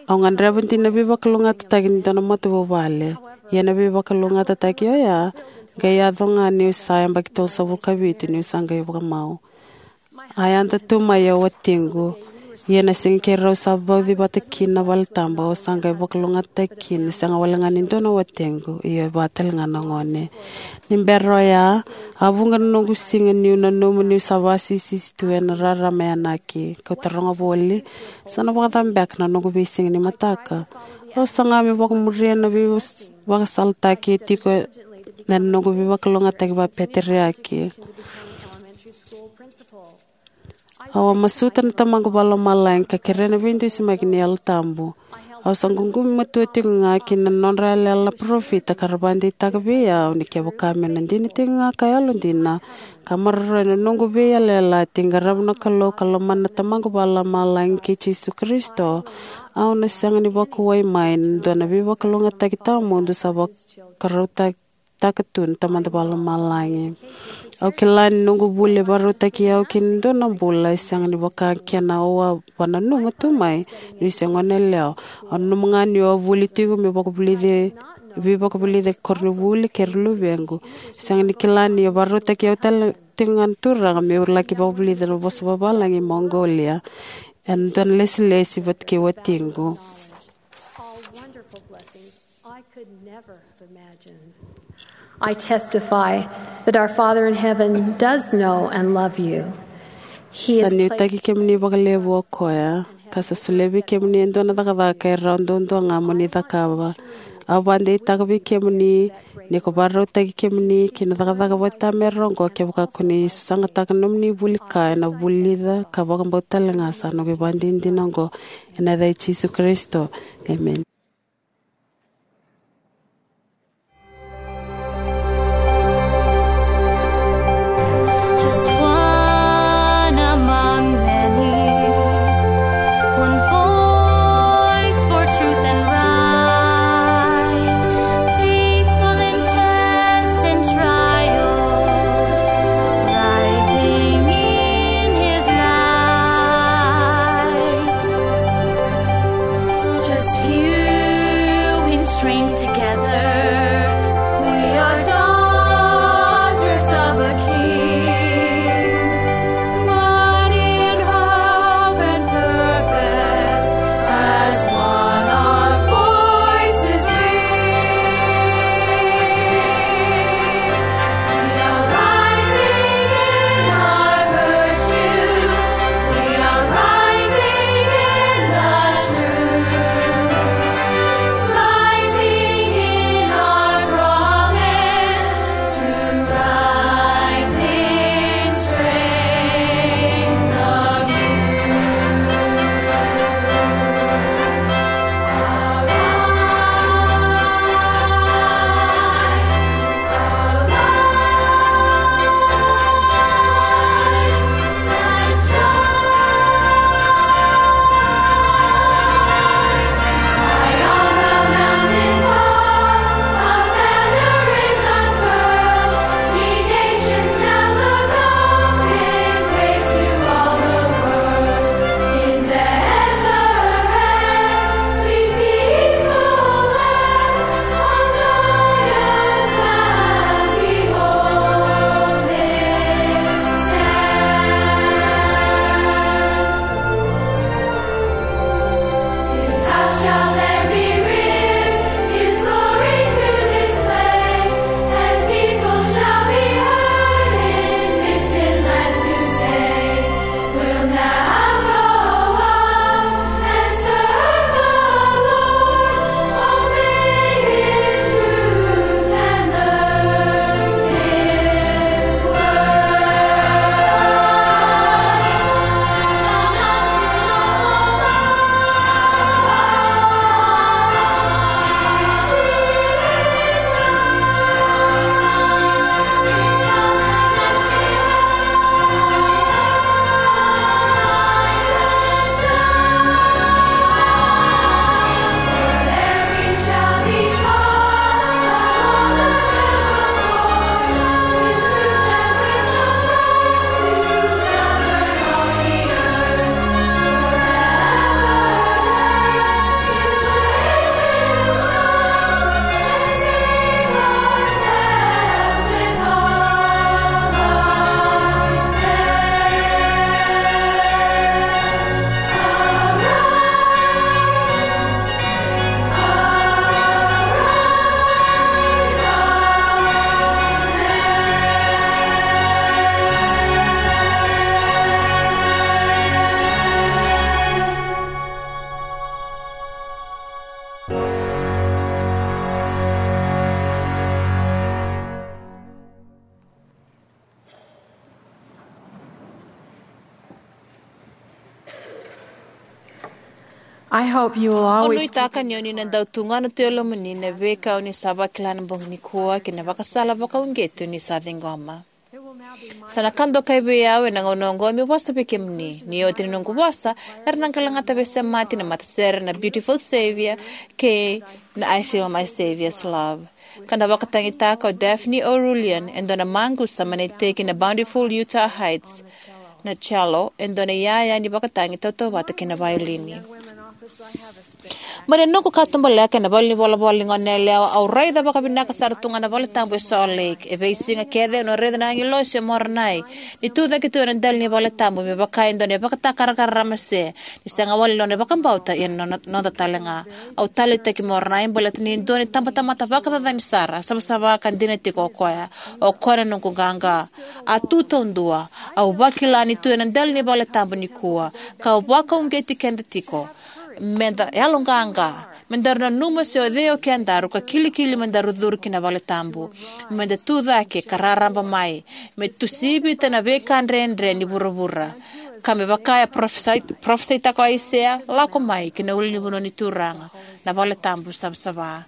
Au gadreva dina na veivakalougatataki ni dua na matavuvale. Ia na veivakalougatataki oya qai yaco ga niu sa yabaki tolusagavulu ka vitu, niu sa qai vakamau. A yada tu mai o watiqu, ia na siga keirau sa vauci vata kina na valetabu, au sa qai vakalougatataki kina, sega wale ga ni dua na watiqu, ia e va tale ga na gone. Ni bera oya, a vuqa na noqu siga niu nanuma niu sa vakasisisi tu ena rarama e yanaki. Kau taroga voli, sa na vakacava beka na noqu veisiga ni mataka? Au saga meu vakamuria na veivakasalataki e tiko ena noqu veivakalougatataki vakapeteriaki. Au a masuta na Tamaqu Vakalomalagi ka kerea na veidusimaki ni Yalo Tabu. Au sa ququmi matua tiko ga ki na nodra yalayala na parofita ka ra vakadeitaka vei au ni kevaka meu na dina tiko ga ka yalodina ka maroroya na noqu veiyalayalati, qarava na Kalou ka lomana na Tamaqu Vakalomalagi kei Jisu Karisito, au na sega ni vakauwai mai na dua na veivakalougatataki tawamudu sa vakarautaki taka tu na Tamada Vakalomalagi. Au kila ni noqu vuli e vakarautaki au ki na dua na bula e sega ni vaka kena au a vakananuma tu mai niu se goneyalewa. Au nanuma ga niu a vuli tiko meu vakavulici, veivakavulici e koronivuli kei ira luvequ. Sega ni kila ni a vakarautaki au tale tiko ga na Turaga meu laki vakavulica na vosa vavalagi e Mongolia ena dua na lesilesi vata kei watiqu. All wonderful blessings I could never have imagined. I testify that our Father in heaven does know and love you. He is, sa nuitaki kemuni vakalevu o koya, ka sa solia vei kemuni e dua na cakacaka e rawa duadua ga mo ni cakava. Au vakadeitaka vei kemuni ni ko vakarautaki kemuni ki na cakacaka vata me ra oqo kevaka ko ni sagataka na nomuni vuli ka ena vulica ka vakabauta tale ga sa noqu ivakadinadina oqo. Ena yaca i Jisu Karisito. Emeni. Just one among many, one voice for truth and right, faithful in test and trial, rising in his light. Just few I hope you will Au always nuitaka ni o ni na dau tugana tu e lomani na veika o ni sa vakila ena bogi nikua kei na vakasala vakauqeti o ni sa ciqoma. Sa na ka dokai vei au ena gauna oqo meu vosa vei kemuni. Ni oti na noqu vosa, era na qai lagata veisemati na matasere na Beautiful Savior kei na I Feel My Savior's Love. Ka na vakatagitaka o Daphne O'Rulian e dua na maqusa mai na iteki na Bountiful Utah Heights na cello, e dua na iyaya ni vakatagi tautauvata kei na vaiolini. Mai na noqu katubaleka ena valenivolavola ni goneyalewa, au raica vakavinaka sara tu ga na valetabu e Salt Lake. E veisiga kece au na raica na agilosi o Moronai ni tu cake tu ena dela ni valetabu me vaka e dua na ivakatakarakara ramase, ni sega wale ni nona ivakabauta ia na noda, noda tale ga. Au taleitaki Moronai baleta ni dua na itabatamata vakacacani sara, savasava ka dina tiko o koya. O koya na noqu qaqa. A tu taudua, au vakila ni tu ena dela ni valetabu nikua, ka vakauqeti keda tiko meda yaloqaqa, me daru nanuma se o cei o kedaru ka kilikili me daru curu ki na valetabu. Meda tu cake ka raraba mai, me tusivita na veika dredre ni vuravura. Ka me vaka e parofisai, parofisaitaka o Aisea, lako mai ki na ulunivanua ni Turaga, na valetabu savasava.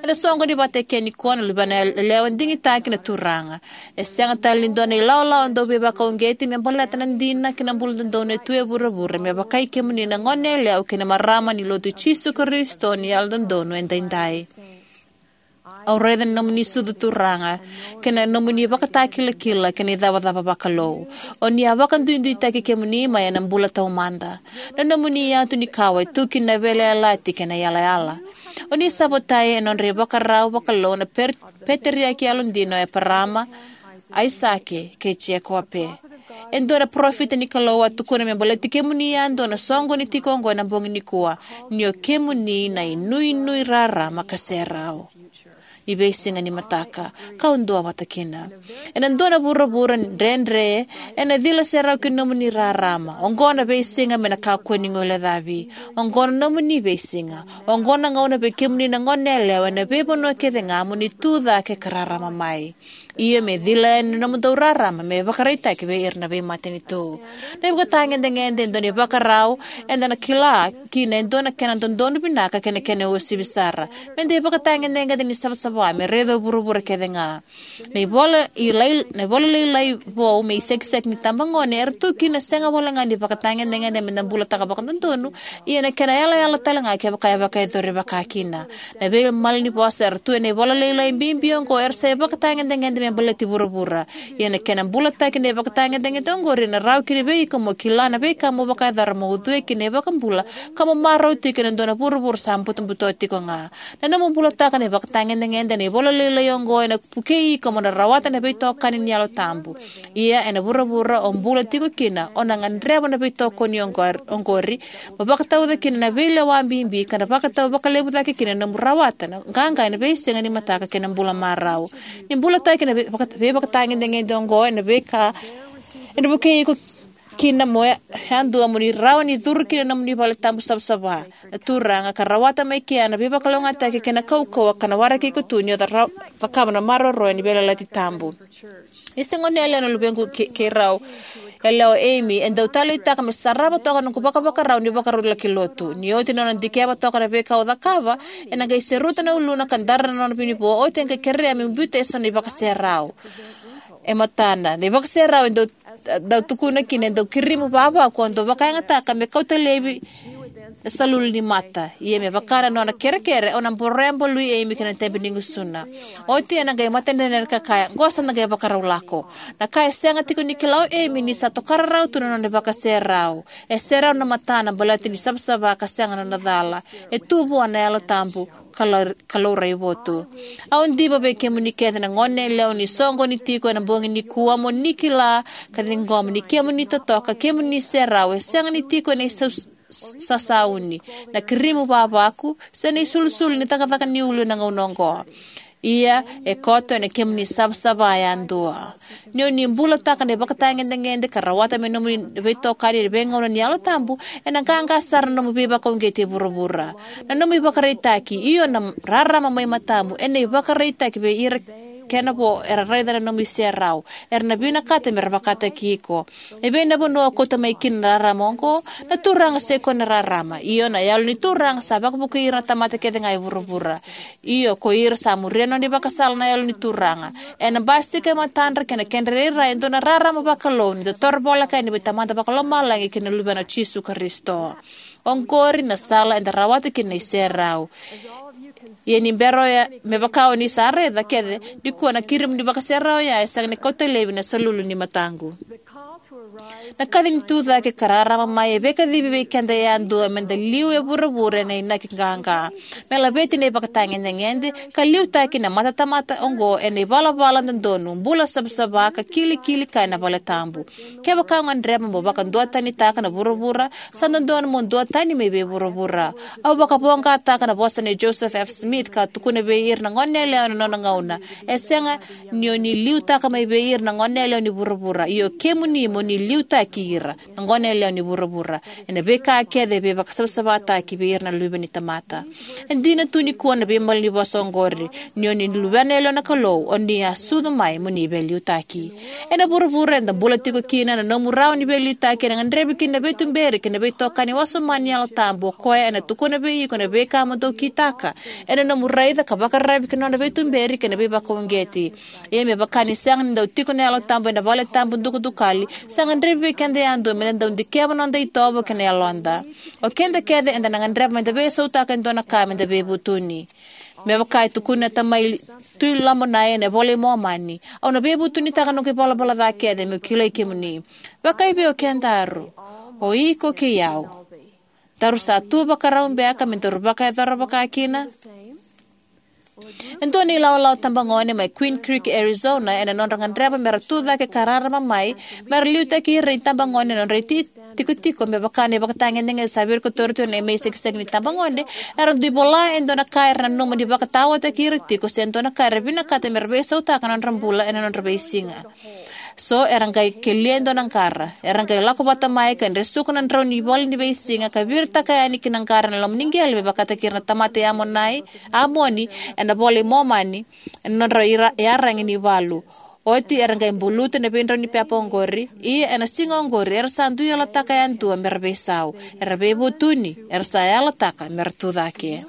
Eda soqoni vata eke nikua na luvena yalewa digitaki na Turaga. E sega tale ni dua na ilawalawa dau veivakauqeti me baleta na dina kei na bula dodonu e tu e vuravura, me vaka i kemuni na goneyalewa kei na marama ni Lotu i Jisu Karisito ni Yalododonu Edaidai. Au raica na nomuni sucu Turaga, kei na nomuni ivakatakilakila kei na icavacava vakalou. O ni a vakaduiduitaki kemuni mai ena bula taumada. Na nomuni iyatukawa e tu kina na veiyalayalati kei na yalayala. O ni sa votai ena nodra ivakarau vakalou na per-, peteriaki yalodina o Eparama, Aisake, kei Jekope. E dua na parofita ni Kalou a tukuna me baleti kemuni yadua na soqoni tiko oqo ena bogi nikua, ni o kemuni na inuinui rarama ka serau ni veisiga ni mataka, kau duavata kina. Ena dua na vuravura dredre, ena cila serau ki na nomuni rarama. Oqo na veisiga me na kakua ni guilecavi. Oqo na nomuni veisiga. Oqo na gauna vei kemuni na goneyalewa ena veivanua kece ga mo ni tu cake ka rarama mai. Io, me cila yani na nomudou rarama me vakaraitaki vei ira na veimatanitu. Na ivakatagedegede e dua na ivakarau eda na kila kina e dua na kena dodonu vinaka kei na kena uasivi sara. Meda ivakatagedegede ni savasava me raica o vuravura kece ga. Na ivola i lai, na ivola lailai vou me isekiseki ni tabagone era tu kina sega wale ga ni vakatagedegede meda bulataka vakadodonu, ia na kena yalayala tale ga kevaka e vakayacori vaka kina. Na veimalanivosa era tu ena ivola lailai bibi oqo era sa ivakatagedegede me baleti vuravura. Ia na kena bulataki na ivakatagedegede oqori ena rawa kina vei iko mo kila na veika mo vakayacora mo ucui kina iVakabula ka mo marau tiko ena dua na vuravura sa butobuto tiko ga. Na nomu bulataka na ivakatagedegede ena ivola lailai oqo ena vukei iko mo na rawata na veitokani ni Yalo Tabu. Ia ena vuravura o bula tiko kina, o na gadreva na veitokoni oqor-, oqori, mo vakatauca kina na veilewa bibi ka na vakatau vakalevu cake kina na nomu rawata na qaqa ena veisiga ni mataka kei na bula marau. Ni bulataki na vei-, vaka-, veivakatagedegede oqo ena veika ena vukei iko kina mo ya-, yadua mo ni rawa ni curu kina na nomuni vale tabu savasava na Turaga ka rawata mai kea na veivakalougatataki kei na kaukauwa ka na waraki iko tu ni o ca-, ra-, cakava na maroroya ni veiyalayalati tabu. Ni se goneyalewa na luvequ kei, kei rau yalewa o Amy, e dau taleitaka me sarava toka na noqu vakavakarau ni vakarau laki lotu. Ni oti na nona dikeva toka na veika au cakava, ena qai seruta na uluna ka dara na nona vinivo, oti e qai kerea meu biuta eso na ivakaserau e matana. Na ivakaserau e dau, dau tukuna kina e dau kirimu vavaku, au dau vakayagataka me kauta laivi na salulu ni mata. Ia me vaka na nona kerekere, au na boroya balui Amy kei na tebenigusuna. Oti ena qai matadredredre ka kaya, qo sa na qai vakarau lako. Na ka e sega tiko ni kila o Amy ni sa tokara rawa tu na nona ivakaserau. E serau na matana baleta ni savasava ka sega na nona cala. E tu vua na Yalo Tabu ka lau-, ka laurai votu. Au diva vei kemuni kece na goneyalewa ni soqoni tiko ena bogi nikua mo ni kila ka ciqoma ni kemuni totoka, kemuni serau, e sega ni tiko ena isau-, s-, sasauni, na kirimu vavaku, se na isulusulu ni cakacaka ni ulu ena gauna oqo. Ia, e koto ena kemuni savasava yadua. Ni o ni bulataka na ivakatagedegede ka rawata me nomuni veitokani ena veigauna ni Yalo Tabu, ena qaqa sara na nomu veivakauqeti e vuravura. Na nomu ivakaraitaki, io na rarama mai matamu, ena ivakaraitaki vei ira kena vo era raica na nomu iserau. Era na vinakata me ra vakataki iko. E vei na vanua o kauta mai kina na rarama oqo? Na Turaga sa i koya na rarama. Io, na Yalo ni Turaga sa vakavukui ira na tamata kece ga e vuravura. Io, ko ira sa muria na nona ivakasala na Yalo ni Turaga. Ena basika e matadra kei na kedra irairai e dua na rarama vakalou ni da toro voleka yani vei Tamada Vakalomalagi kei na Luvena o Jisu Karisito. Oqori na sala eda rawata kina na iserau. Ia ni bera oya, me vaka o ni sa raica kece, nikua na kirimi ni vakaserau oya e sega ni kauta laivi na salulu ni mataqu. Na kaci ni tucake ka rarama mai e veikacivi vei keda yadua me da liu e vuravura ena inaki qaqa, me laveti na ivakatagedegede, ka liutaki na matatamata oqo ena ivalavala dodonu, bula savasava, ka kilikili kaya na vale tabu. Kevaka o gadreva mo vakaduatanitaka na vuravura, sa dodonu mo duatani mai vei vuravura. Au vakavoqataka na vosa nei Joseph F. Smith ka tukuna vei ira na goneyalewa ena nona gauna: E sega ni o ni liutaka mai vei ira na goneyalewa ni vuravura, ia o kemuni mo ni liutaki ira, na goneyalewa ni vuravura, ena veika kece e veivakasavasavataki vei ira na luve ni tamata. E dina tu nikua na veimalanivosa oqori: Ni o ni luvena yalewa na Kalou, o ni a sucu mai mo ni veiliutaki. Ena vuravura eda bula tiko kina, na nomu rawa ni veiliutaki ena gadrevi kina na veituberi kei na veitokani wasoma ni Yalo Tabu, o koya ena tukuna vei iko na veika mo dau kitaka ena nomu raica ka vakararavi ki na nona veituberi kei na veivakauqeti. Ia me vaka ni sega ni dau tiko na Yalo Tabu ena vale tabu dukadukali, sa gadrevi vei keda yadua me da dau dikeva na noda itovo kei na yaloda. O keda kece eda na gadreva me da veisautaka e dua na ka me da veivutuni. Me vaka e tukuna na tamai Tui Lamonai ena iVola i Momani: Au na veivutunitaka noqu ivalavala ca kece meu kilai kemuni. Vakaevei o kedaru, o iko kei au? Daru sa tu vakarau beka me daru vakayacora vakakina? E dua na ilawalawa tabagone mai Queen Creek, Arizona, ena nodra gadreva me ra tucake ka rarama mai me ra liutaki ira na itabagone ena nodra iti tikotiko, me vaka na ivakatagedegede sa virikotori tu ena imaisikisikisi ni tabagone, era dui vola e dua na ka era nanuma ni vakataotaki ira tiko se dua na ka era vinakata me ra veisautaka na nodra bula ena nodra veisiga. So era qai kelia e dua na qara. Era qai lako vata mai ka dresuka na drau ni ivola ni veisiga ka viritaka yani ki na qara na loma ni qele me vakataki ira na tamata i Amonai, Amoni, ena iVola i Momani, ena nodra ira-, iyaragi ni valu. Oti era qai buluta na veidrau ni pepa oqori. Ia ena siga oqori era sa dui yalataka yadua me ra veisau. Era veivutuni, era sa yalataka me ra tucake.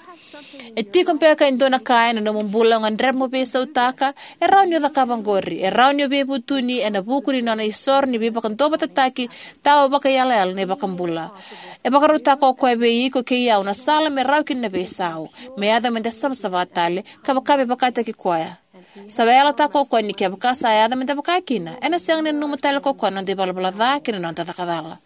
E tiko beka e dua na ka ena nomu bula o gadreva mo veisautaka? E rawa ni o cakava oqori. E rawa ni o veivutuni ena vuku ni nona isoro ni veivakaduavatataki tawa vakaiyalayala na iVakabula. E vakarautaka o koya vei iko kei au na sala me rawa kina na veisau, me yaco me da savasava tale, ka vaka me vakataki koya. Sa yalataka o koya ni kevaka sa yaco me da vakakina, ena sega ni nanuma tale ko koya na noda ivalavala ca kei na noda caka cala.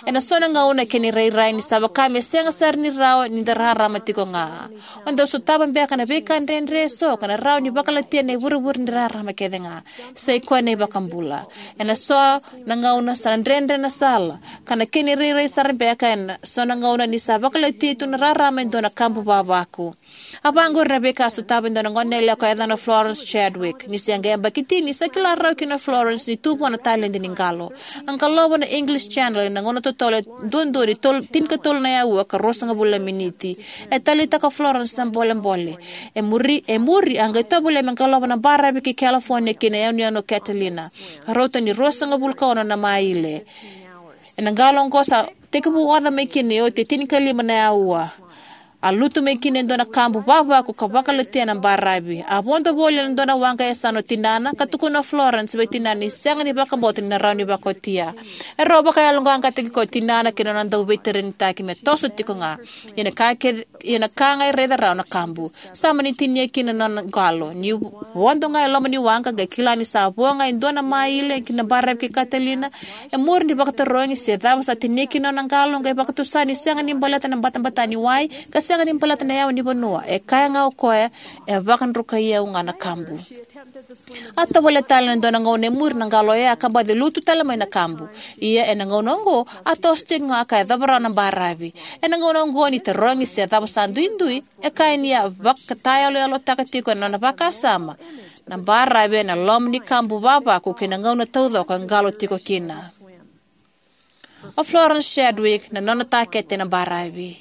Ena so na gauna e kena irairai ni sa vaka me sega sara ni rawa ni da rarama tiko ga. O dau sotava beka na veika dredre eso ka na rawa ni vakalatia na ivurevure ni rarama kece ga. Sa i koya na iVakabula. Ena so na gauna sa na dredre na sala, ka na kena irairai sara beka ena so na gauna ni sa vakalatia tu na rarama e dua na kabu vavaku. A vaqori na veika a sotava e dua na goneyalewa ka yacana o Florence Chadwick. Ni se qai yabaki tini, sa kila rawa kina o Florence ni tu vua na taledi ni qalo. A qalova na English Channel ena gauna totolo e duadua ni tol-, tinikatolu na aua ka ruasagavulu na miniti. E taleitaka o Florence na bolebole. E muri, e muri a qai tovolea me qalova na baravi ki California ki na yanuyanu o Catalina. A rauta ni ruasagavulu ka ono na maile. Ena qalo oqo sa tekivu oca mai kina ni oti e tinikalima na aua. A lutu mai kina e dua na kabu vavaku ka vakalatia na baravi. A vodo voli ena dua na waqa e yasana o tinana, ka tukuna o Florence vei tinana ni sega ni vakabauta ni na rawa ni vakaotia. Erau vakayaloqaqataki koya o tinana kei na nona dauveitareni taki me toso tiko ga. Ia na ka kece, ia na ka ga e raica rawa na kabu. Sa mani tinia kina na nona qalo. Ni vodo ga e loma ni waqa, qai kila ni sa vo ga e dua na maile ki na baravi kei Catalina. E muri ni vakatarogi se cava sa tinia kina na nona qalo, qai vakatusa ni sega ni baleta na batabata ni wai, ka sega ni baleta na yawa ni vanua. E kaya ga o koya, e vakadrukai au ga na kabu. A tovolea tale ena dua na gauna e muri na qalo oya ka baci lutu tale mai na kabu. Ia ena gauna oqo, a toso tiko ga ka yacova rawa na baravi. Ena gauna oqo ni tarogi se cava sa duidui, e kaya ni a vakatayaloyalotaka tiko ena nona vakasama na baravi ena loma ni kabu vavaku kei na gauna taucoko e qalo tiko kina. O Florence Chadwick na nona takete na baravi.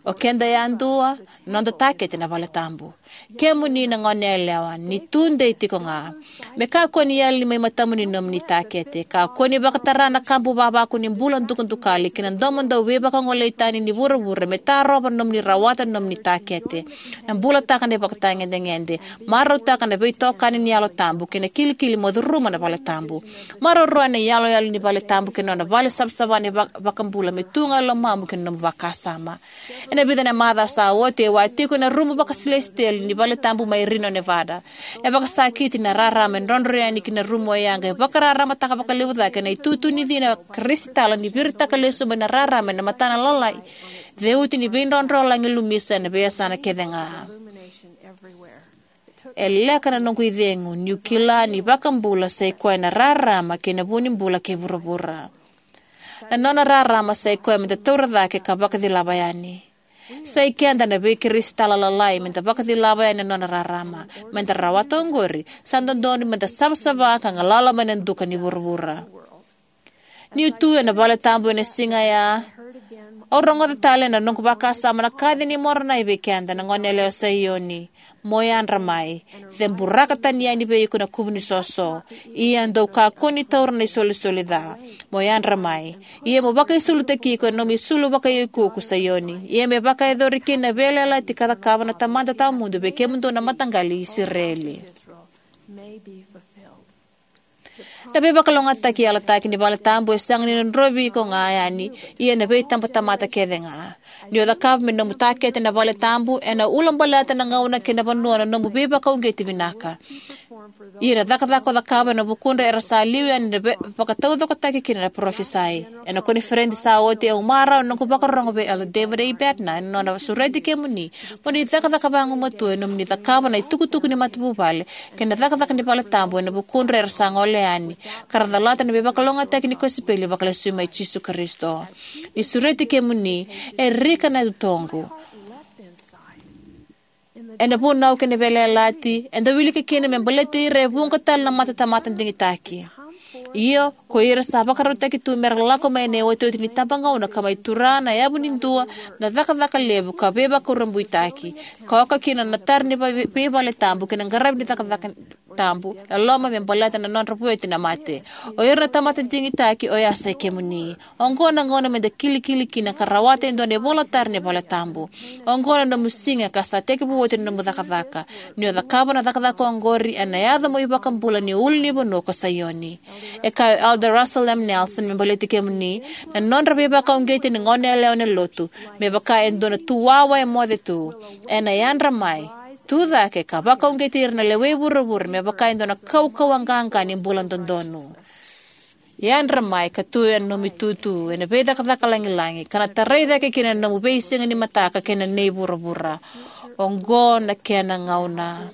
O keda yadua, noda takete na vale tabu. Kemuni na gone yalewa, ni tudei tiko ga. Me kakua ni yali mai matamuni na nomuni takete. Kakua ni vakatara na kabu vavaku ni bula dukadukali kei na domo dau veivakagolei tani ni vuravura me tarova na nomuni rawata na nomuni takete. Na bulataka na ivakatagedegede, marautaka na veitokani ni Yalo Tabu kei na kilikili mo curuma na vale tabu. Maroroya na iyaloyalo ni vale tabu kei na nona vale savasava ni va- vakabula me tu ga e lomamu kei na nomu vakasama. Ena vica na macawa sa oti au a tiko ena rumu vakasilesitieli ni vale tabu mai Reno, Nevada. E vakasakiti na rarama e drodro yani ki na rumu oya qai vakararamataka vakalevu cake na itutu ni cina krisitala ni viritaka lesu mai na rarama ena matana lalai ceuti ni veidrodrolagi lumisa ena veiyasana kece ga. E leka na noqu icegu niu kila ni iVakabula sa i koya na rarama kei na vu ni bula kei vuravura. Na nona rarama sa i koya meda taura cake ka vakacilava yani. Sa i keda na veikrisitala lalai meda vakacilava yani na nona rarama. Meda rawata oqori, sa dodonu meda savasava ka galala mai na duka ni vuravura. Niu tu ena vale tabu ena siga ya, au rogoca tale na noqu vakasama na kaci nei Moronai vei keda na gone yalewa Saioni: Mo yadra mai, ceburaka tani yani vei iko na kuvu ni soso. Ia dou kakua ni taura na isolisoli ca. Mo yadra mai. Ia mo vakaisulutaki iko ena nomu isulu vakaiukuuku Saioni. Ia me vakayacori kina na veiyalayalati ka cakava na Tamada Tawamudu vei kemudou na mataqali i Isireli. Na veivakalougatataki yalataki ni vale tabu e sega ni drodrovi iko ga yani, ia na veitabatamata kece ga. Ni o cakava me nomu takete na vale tabu, ena ulabaleta na gauna kei na vanua na nomu veivakauqeti vinaka. Ia na cakacaka o cakava ena vukudra era sa liu yani na ve- vakataucokotaki kina na parofisai. Ena koniferedi sa oti, au marau na noqu vakarorogo vei Elder David A. Bednar ena nona sureti kemuni mo ni cakacaka vagumatua ena nomuni cakava na itukutuku ni matavuvale kei na cakacaka ni vale tabu ena vukudra era sa gole yani, ka ra calata na veivakalougatataki ni kosipeli vakalesui mai Jisu Karisito. Ni sureti kemuni, e rika na utoqu. Ena vunau kei na veiyalayalati, eda wilika kina me baleti ira e vuqa tale na matatamata digitaki. Io, ko ira sa vakarautaki tu mera lako mai ena iotioti ni tabagauna ka mai tura na yavu ni dua na cakacaka levu ka veivakurabuitaki, ka oka kina na tara ni vei- veivale tabu kei na qaravi ni cakacaka tabu e loma me baleta na nodra vueti na mate. O ira na tamata digitaki, oya sa i kemuni. Oqo na gauna meda kilikili kina ka rawata e dua na ivolatara ni vale tabu. Oqo na nomu siga ka sa tekivu oti na nomu cakacaka. Ni o cakava na cakacaka oqori, ena yaco mo iVakabula ni ulunivanua ko Saioni. E kaya o Elder Russell M. Nelson me baleti kemuni, na nodra veivakauqeti na gone yalewa ena lotu me vaka e dua na tu wawa e moce tu. Ena yadra mai, tu cake ka vakauqeti ira na lewei vuravura me vaka e dua na kaukauwa qaqa ni bula dodonu. Yadra mai ka tu ena nomu itutu ena veicakacaka lagilagi, ka na tarai cake kina na nomu veisiga ni mataka kei na nei vuravura. Oqo na kena gauna.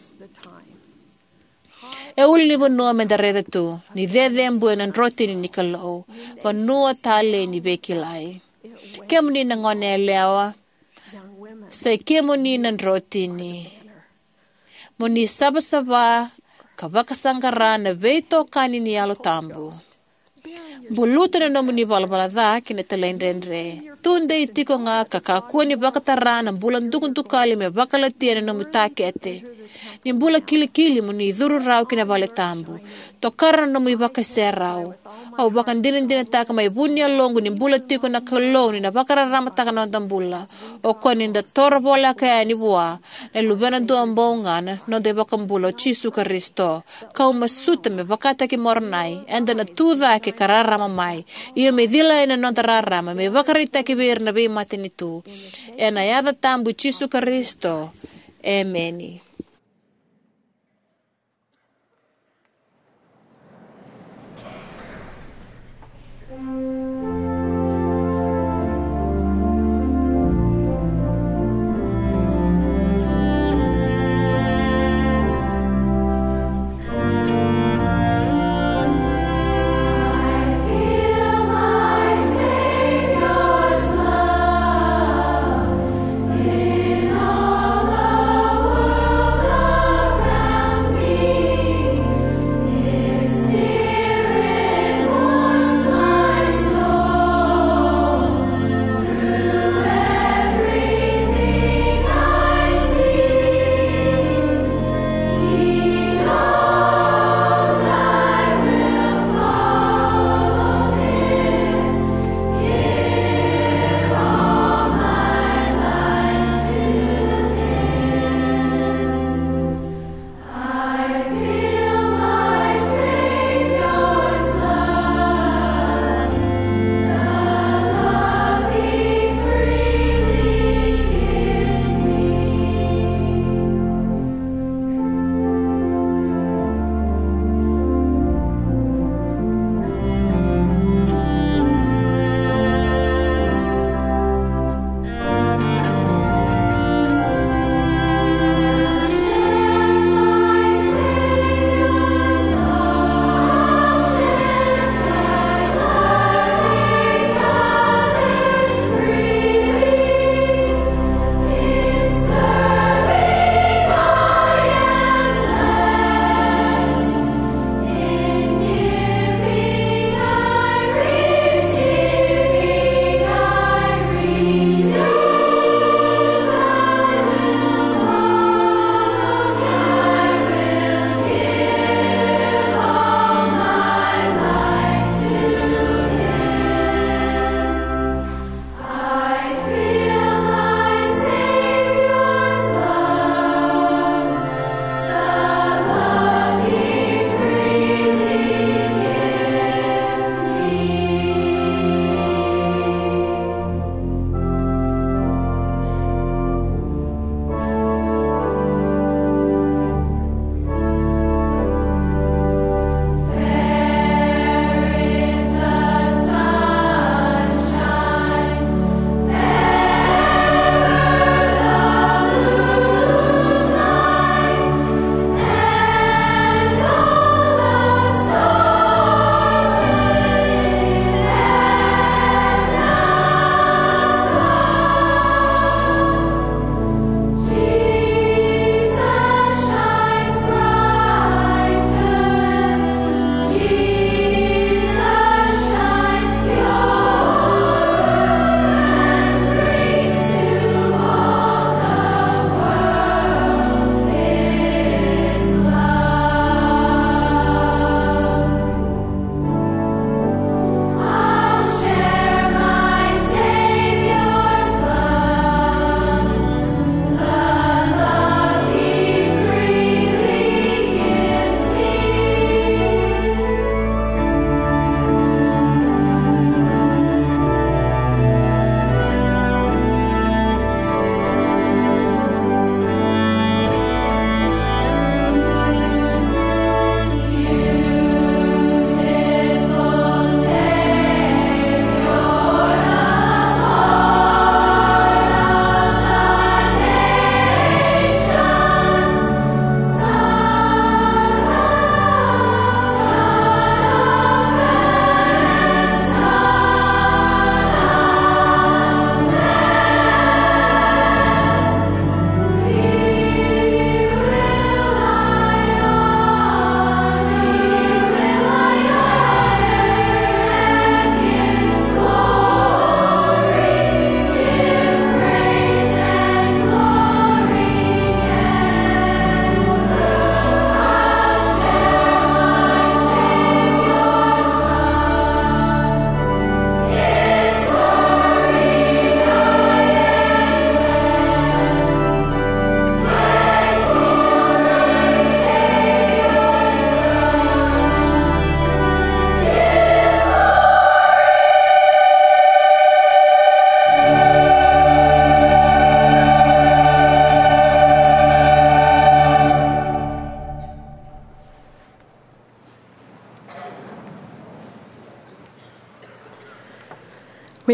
E ulunivanua meda raica tu, ni cecebuya na drotini ni Kalou, vanua talei ni veikilai. Kemuni na gone yalewa, sa i kemuni na drotini. Mo ni savasava ka vakasaqara na veitokani ni Yalo Tabu. Buluta na nomuni valavala ca kei na talaidredre. Tudei tiko ga ka kakua ni vakatara na bula dukadukali me vakalatia na nomu takete. Ni bula kilikili mo ni curu rawa ki na vale tabu. Tokara na nomu ivakaiserau. Au vakadinadinataka mai vu ni yaloqu ni bula tiko na Kalou ni na vakararamataka na noda bula. O koya ni da toro voleka yani vua na Luvena duabau ga, na noda iVakabula o Jisu Karisito. Kau masuta me vakataki Moronai, eda na tu cake ka rarama mai. Io, me cila yani na noda rarama me vakaraitaki vei ira na veimatanitu. Ena yaca tabu i Jisu Karisito. Emeni.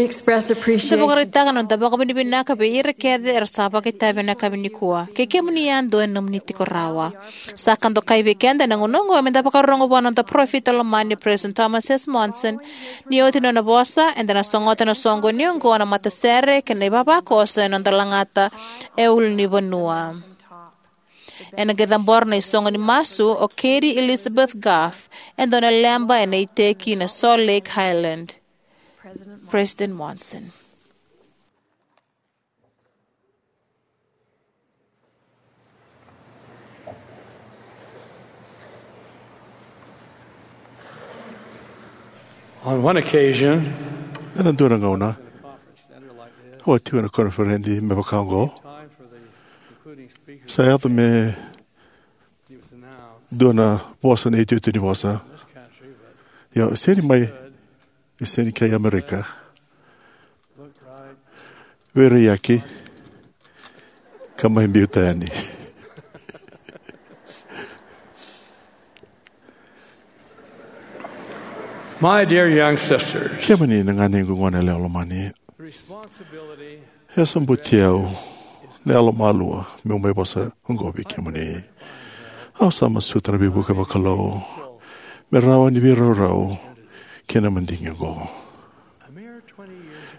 Express appreciation. Da vakaraitaka na noda vakavinavinaka vei ira kece era sa vakaitavi ena yakavi nikua. Kei kemuni yadua ena nomuni tiko rawa. Sa ka dokai vei keda ena gauna oqo me da vakarorogo vua na noda parofita lomani President Thomas S. Monson. Ni oti na nona vosa, eda na sogota na soqoni oqo na matasere kei na ivavakoso ena noda lagata e ulunivanua. Ena qai cabora na isoqo ni masu o Katie Elizabeth Goff, e dua na leba ena iteki na Salt Lake Highland. President Monson. On one occasion, ena dua na gauna, au a tiko ena koniferedi me vaka oqo. Sa yaco me dua na vosa, na iotioti ni vosa. Ia, sega ni mai, e sega ni kai Amerika. Veiraiyaki ka mai biuta yani. My dear young sisters, kemuni na ganequ, gone yalewa lomani, e sobuti au na yalomalua meu mai vosa oqo vei kemuni. Au sa masuta na veivuke vakalou me rawa ni veiraurau kei na madigi oqo.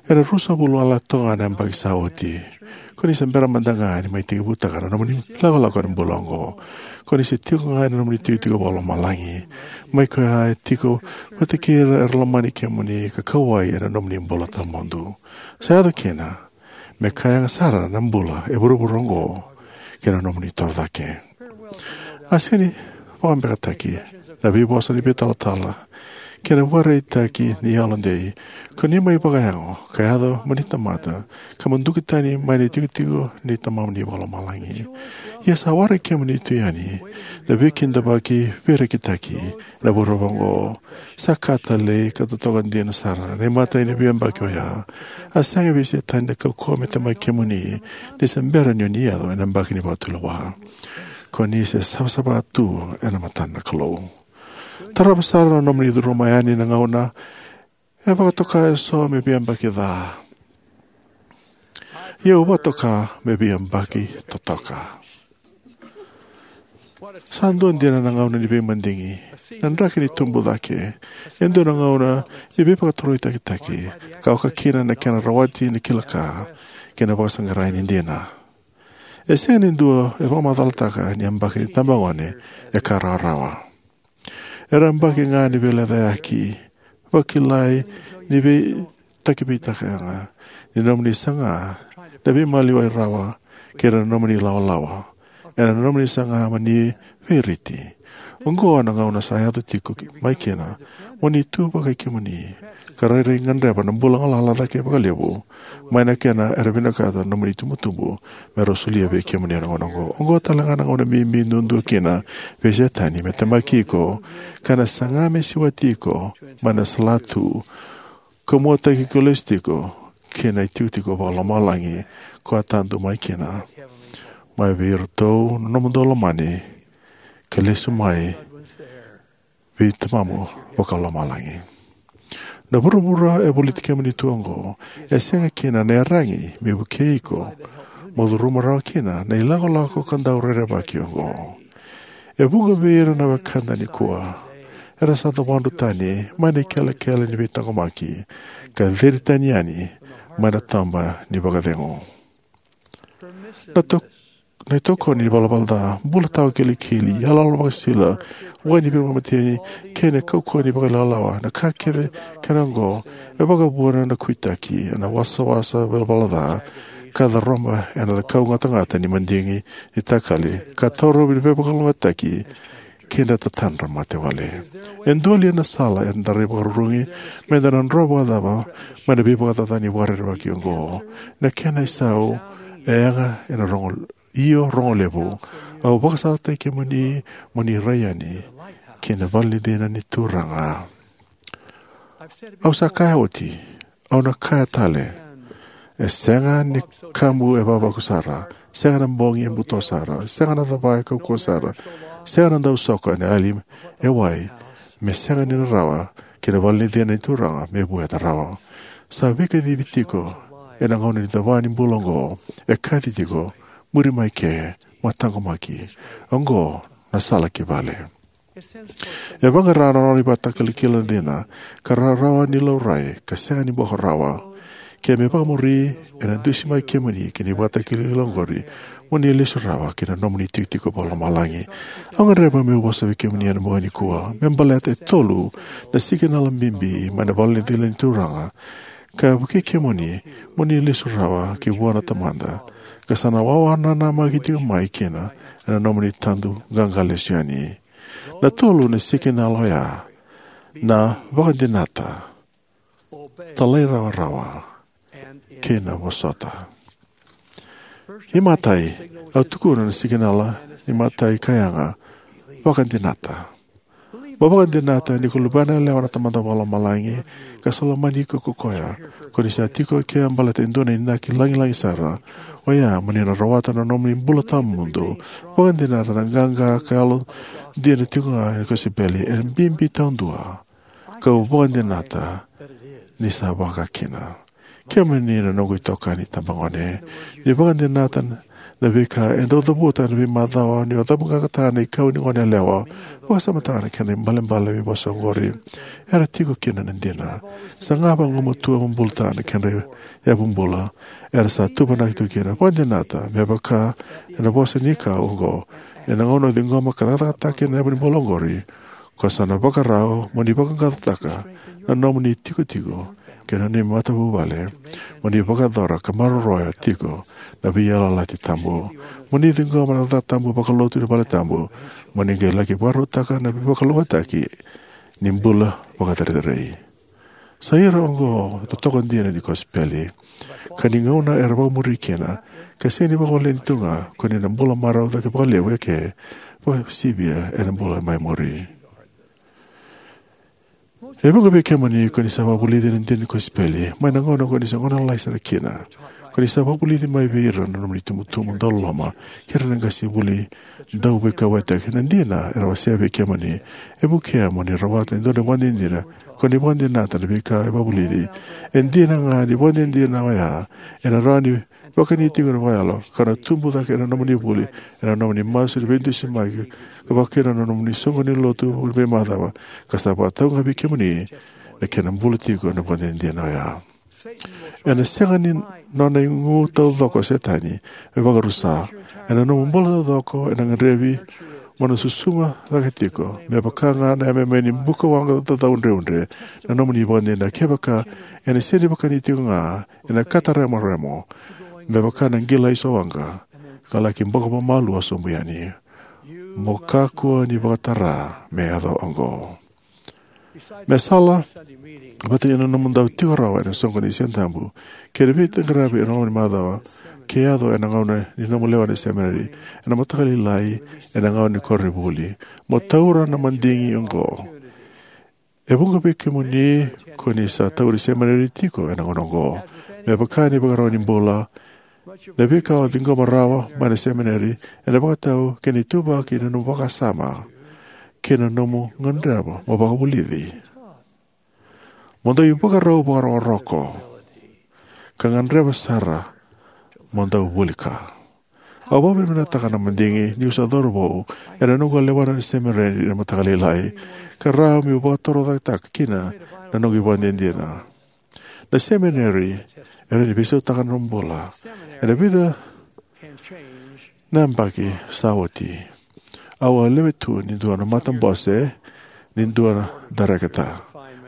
Ena ruasagavulu na toka ga na yabaki sa oti, ko ni se bera mada ga ni mai tekivutaka na nomuni lakolako ena bula oqo. Ko ni se tiko ga ena nomuni tikotiko vakalomalagi, mai koya e tiko vata kei ira era lomani kemuni ka kauwai ena nomuni bula tawamudu. Sa yaco kina me ka yaga sara na bula e vuravura oqo kei na nomuni torocake. A sega ni vakabekataki na veivosa ni veitalatala kei na vakaraitaki ni yalodei ko ni mai vakayago ka yaco mo ni tamata ka mo duki tani mai na itikotiko ni Tamamuni Vakalomalagi. Ia sa waraki kemuni tu yani na veikidavaki veirekitaki ena vuravura oqo. Sa ka talei ka totoka dina sara na imatai ni veiyabaki oya. A sega vei Setani na kaukauwa me temaki kemuni ni se bera ni o ni yaco ena yabaki ni vakatulewa. Ko ni se savasava tu ena matana na Kalou. Tarava sara na nomuni curuma yani na gauna e vakatoka eso me veiyabaki ca. Ia au vakatoka me veiyabaki totoka. Sa dua dina na gauna ni veimadigi, na draki ni tubu cake, e dua na gauna ni veivakatoroitakitaki ka oka kina na kena rawati na kila ka kei na vakasaqarai ni dina. E sega ni dua e vakamacalataka ni yabaki ni tabagone e ka rawarawa. Era yabaki ga ni veilecayaki, vakilai ni veitakiveitaka yaga, ni nomuni saga na veimaliwai rawa kei na nomuni lawalawa, ena nomuni saga mo ni veiriti. Oqo na gauna sa yaco tiko mai kina mo ni tu vakai kemuni ka rairai gadreva na bula galala cake vakalevu mai na kena era vinakata na nomuni itubutubu me rau solia vei kemuni ena gauna oqo. Oqo tale ga na gauna bibi duadua kina vei Setani me temaki iko ka na saga me siwati iko mai na salatu ka muataki iko lesu tiko ki na itikotiko vakalomalagi ko a tadu mai kina, mai vei iratou na nomudou lomani ka lesu mai vei Tamamu Vakalomalagi. Na vuravura e voliti kemuni tu oqo e sega kina na iyaragi me vukei iko mo curuma rawa kina na ilakolako ka dau rerevaki oqo. E vuqa vei ira na wekada nikua era sa cawadru tani mai na ikelekele ni veitaqomaki ka ciri tani yani mai na toba ni vakacegu. Na, to, na itokoni ni valavala ca, bula tawa kilikili, iyaloyalo vakasisila, wai ni veivakamateni kei na kaukauwa ni vakailawalawa, na ka kece kei na oqo e vakavuna na kuitaki ena wasawasa valavala ca ka caroba ena kaukauwa ni madigi ni takali ka taurovi na veivakalougatataki kei na tatadra matewale. E dua li na sala eda rai vakarurugi me da na dro vakacava mai na veivakacaca ni vakarerevaki oqo? Na kena isau e yaga ena rogo, io rogo levu. Au vakasalataki kemuni mo ni rai yani ki na vale ni cina ni Turaga. Au sa kaya oti, au na kaya tale. E sega ni kamu e vavaku sara, sega na bogi e buto sara, sega na cava e kaukauwa sara, sega na dausoko ena yali e wai, me sega ni na rawa ki na vale ni cina ni Turaga me vueta rawa. Sa veikacivi tiko ena gauna ni cava ni bula oqo. E kaci tiko, muri mai ke, mo taqomaki. Oqo na sala ki vale. E vaqara na nona ivakatakilakila dina, ka rarawa ni laurai, ka sega ni boko rawa. Ke me vakamuri, ena dusi mai kemuni ki na ivakatakilakila oqori, mo ni lesu rawa ki na nomuni tikotiko vakalomalagi. Au gadreva meu vosa vei kemuni ena bogi nikua me baleta e tolu na sikinala bibi mai na vale ni cila ni Turaga, ka vukei kemuni mo ni lesu rawa ki vua na Tamada, ka sa na wawa nanamaki tiko mai kina ena nomuni tadu qaqa lesu yani. Na tolu na sikinala oya: na vakadinata, talairawarawa, kei na vosota. Imatai, au tukuna na sikinala imatai ka yaga: vakadinata. Mo vakadinata ni ko luvena yalewa na Tamada Vakalomalagi, ka sa lomani iko ko koya. Ko ni sa tiko eke baleta e dua na inaki lagilagi sara, oya mo ni na rawata na nomuni bula tawamudu. Vakadinata na qaqa ka yalodina tiko ga ena kosipeli, e bibi taudua. Kau vakadinata ni sa vakakina. Kemuni na noqu itokani tabagone, ni vakadinata na veika e dau cavuta ena veimacawa ni o cavuqaqataka na ikau ni goneyalewa. Vakasamataka na kena ibalebale veivosa oqori. Era tiko kina na dina. Sa ga vagumatua mo bulataka na kedra yavu bula. Era sa tuvanaki tu kina. Vakadinata, me vaka ena vosa ni kau oqo: ena gauna o ciqoma ka cakacakataka kina na yavu ni bula oqori, ko sa na vakarau mo ni vaqaqacotaka na nomuni tikotiko kei na nomuni matavuvale, mo ni vakayacora ka maroroya tiko na veiyalayalati tabu, mo ni ciqoma na cakacaka tabu vakalotu ni valetabu, mo ni qai laki vakarautaka na veivakalougatataki ni bula vakacerecerei. Sa ira oqo na totoka dina ni kosipeli, ka ni gauna era vakamuri kina, ka sega ni vakawaleni tu ga, ko ni na bula marau cake vakalevu eke, vakasivia ena bula mai muri. E vuqa vei kemuni ko ni sa vakavulici ena dina ni kosipeli mai na gauna ko ni sa gone lalai sara kina. Ko ni sa vakavulici mai vei ira na nomuni itubutubu dauloloma kei ira na qasenivuli dauveikauwaitaki. Na dina era wasea vei kemuni e vukea mo ni rawata e dua na ivakadinadina. Ko ni vakadinata na veika e vakavulici. E dina ga ni vakadinadina oya ena rawa ni vakani tiko vakayalo, ka na tubu cake ena nomuni vuli, ena nomuni masu ni veidusimaki, ka vaka kina na nomuni soqoni ni lotu veimacawa, ka sa vakatau ga vei kemuni na kena bula tiko na vakadinadina oya. Ena sega ni nona igu taucoko o Setani me vakarusa. Ena nomu bula taucoko ena gadrevi mo na susuga cake tiko, me vaka ga na yameyame ni buka waqa caudreudre, na nomuni vakadinadina. Kevaka ena sega ni vakani tiko ga, ena kataremoremomu me vaka na qilaiso waqa, ka laki boko vakamalua sobu yani. Mo kakua ni vakatara me yaco oqo. Me sala vata kei na nomu dau tiko rawa ena soqoni ni Sigatabu kei na veiqaravi ena loma ni macawa, ke yaco ena gauna ni nomu lewena semineri ena mataka lailai, ena gauna ni koronivuli, mo taura na madigi oqo. E vuqa vei kemuni ko ni sa tauri semineri tiko ena gauna oqo. Me vaka na ivakarau ni bula, na veika o ciqoma rawa mai na semineri ena vakatau kei na ituvaki ni nomu vakasama kei na nomu gadreva mo vakavulici. Mo dau ivakarau vakarokoroko ka gadreva sara mo dau vuli ka. Au vakavinavinakataka na madigi niu sa cauravou ena noqu a lewena na semineri ena mataka lailai, ka rawa meu vakatorocaketaka kina na noqu ivakadinadina. Na semineri e rawa ni veisautaka na nomu bula. Ena vica na yabaki sa oti, au a lewe tu ni dua na matabose ni dua na dareketa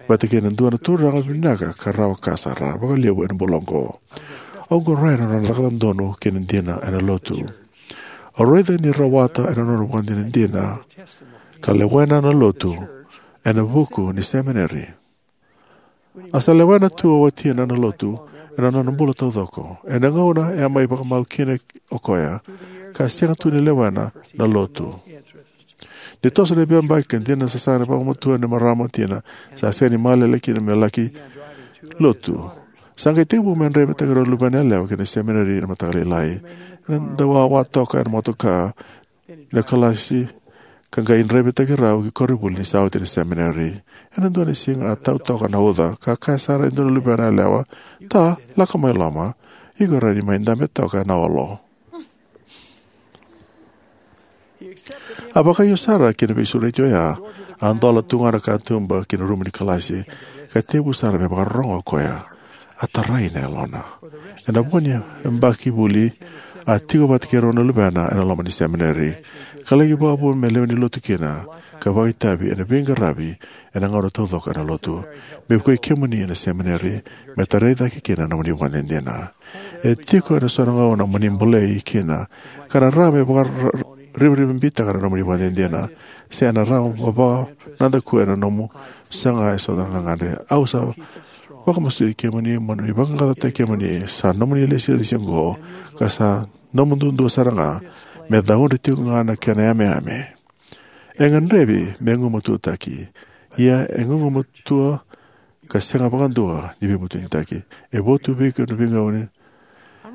vata kei na dua na turaga vinaka ka rawa ka sara vakalevu ena bula oqo. Au qoroya na nona cakacaka donu kei na dina ena lotu. Au raica ni rawata ena nona vakadinadina ka lewena na lotu ena vuku ni semineri. A sa lewena tu o watina na lotu ena nona bula taucoko. Ena gauna e a mai vakamau kina o koya, ka sega tu ni lewena na lotu. Ni toso na veiyabaki ka dina na sasaga ni vakamatua ni marama o tina, sa sega ni malele kina me laki lotu. Sa qai tekivu me draivataki rau na luvena yalewa ki na semineri ena mataka lailai. Ena dau wawa toka ena motoka na kalasi ka qai draivataki rau ki koronivuli ni sa oti na semineri. Ena dua na siga a tau toka na uca, ka kaya sara e dua na luvena yalewa, "Ta, lako mai loma, iko rawa ni mai dabe toka ena olo." A vakaio sara ki na veisureti oya, a dola tu ga na katuba ki na rumu ni kalasi, ka tevu sara me vakarorogo o koya. A tarai na yalona. Ena vo ni yabaki vuli, a tiko vata kei rau na luvena ena loma ni semineri, ka laki vakavuna me lewe ni lotu kina, ka vakaitavi ena veiqaravi ena gauna taucoko ena lotu. Me vukei kemuni ena semineri, me tarai cake kina na nomuni vakadinadina. E tiko ena so na gauna mo ni bolei kina, ka na rawa me vakarivarivabitaka na nomuni vakadinadina, se ena rawa me vakanadakuya na nomu saga eso na gagadre. Au sa vakamasuti kemuni mo ni vaqaqacotaki kemuni, sa nomuni ilesilesi oqo, ka sa nomu duadua sara ga, me caudre tiko ga na kena yameyame. E gadrevi me gumatuataki, ia e gugumatua ka sega vakadua ni veivutunitaki. E votu vei iko na veigauna.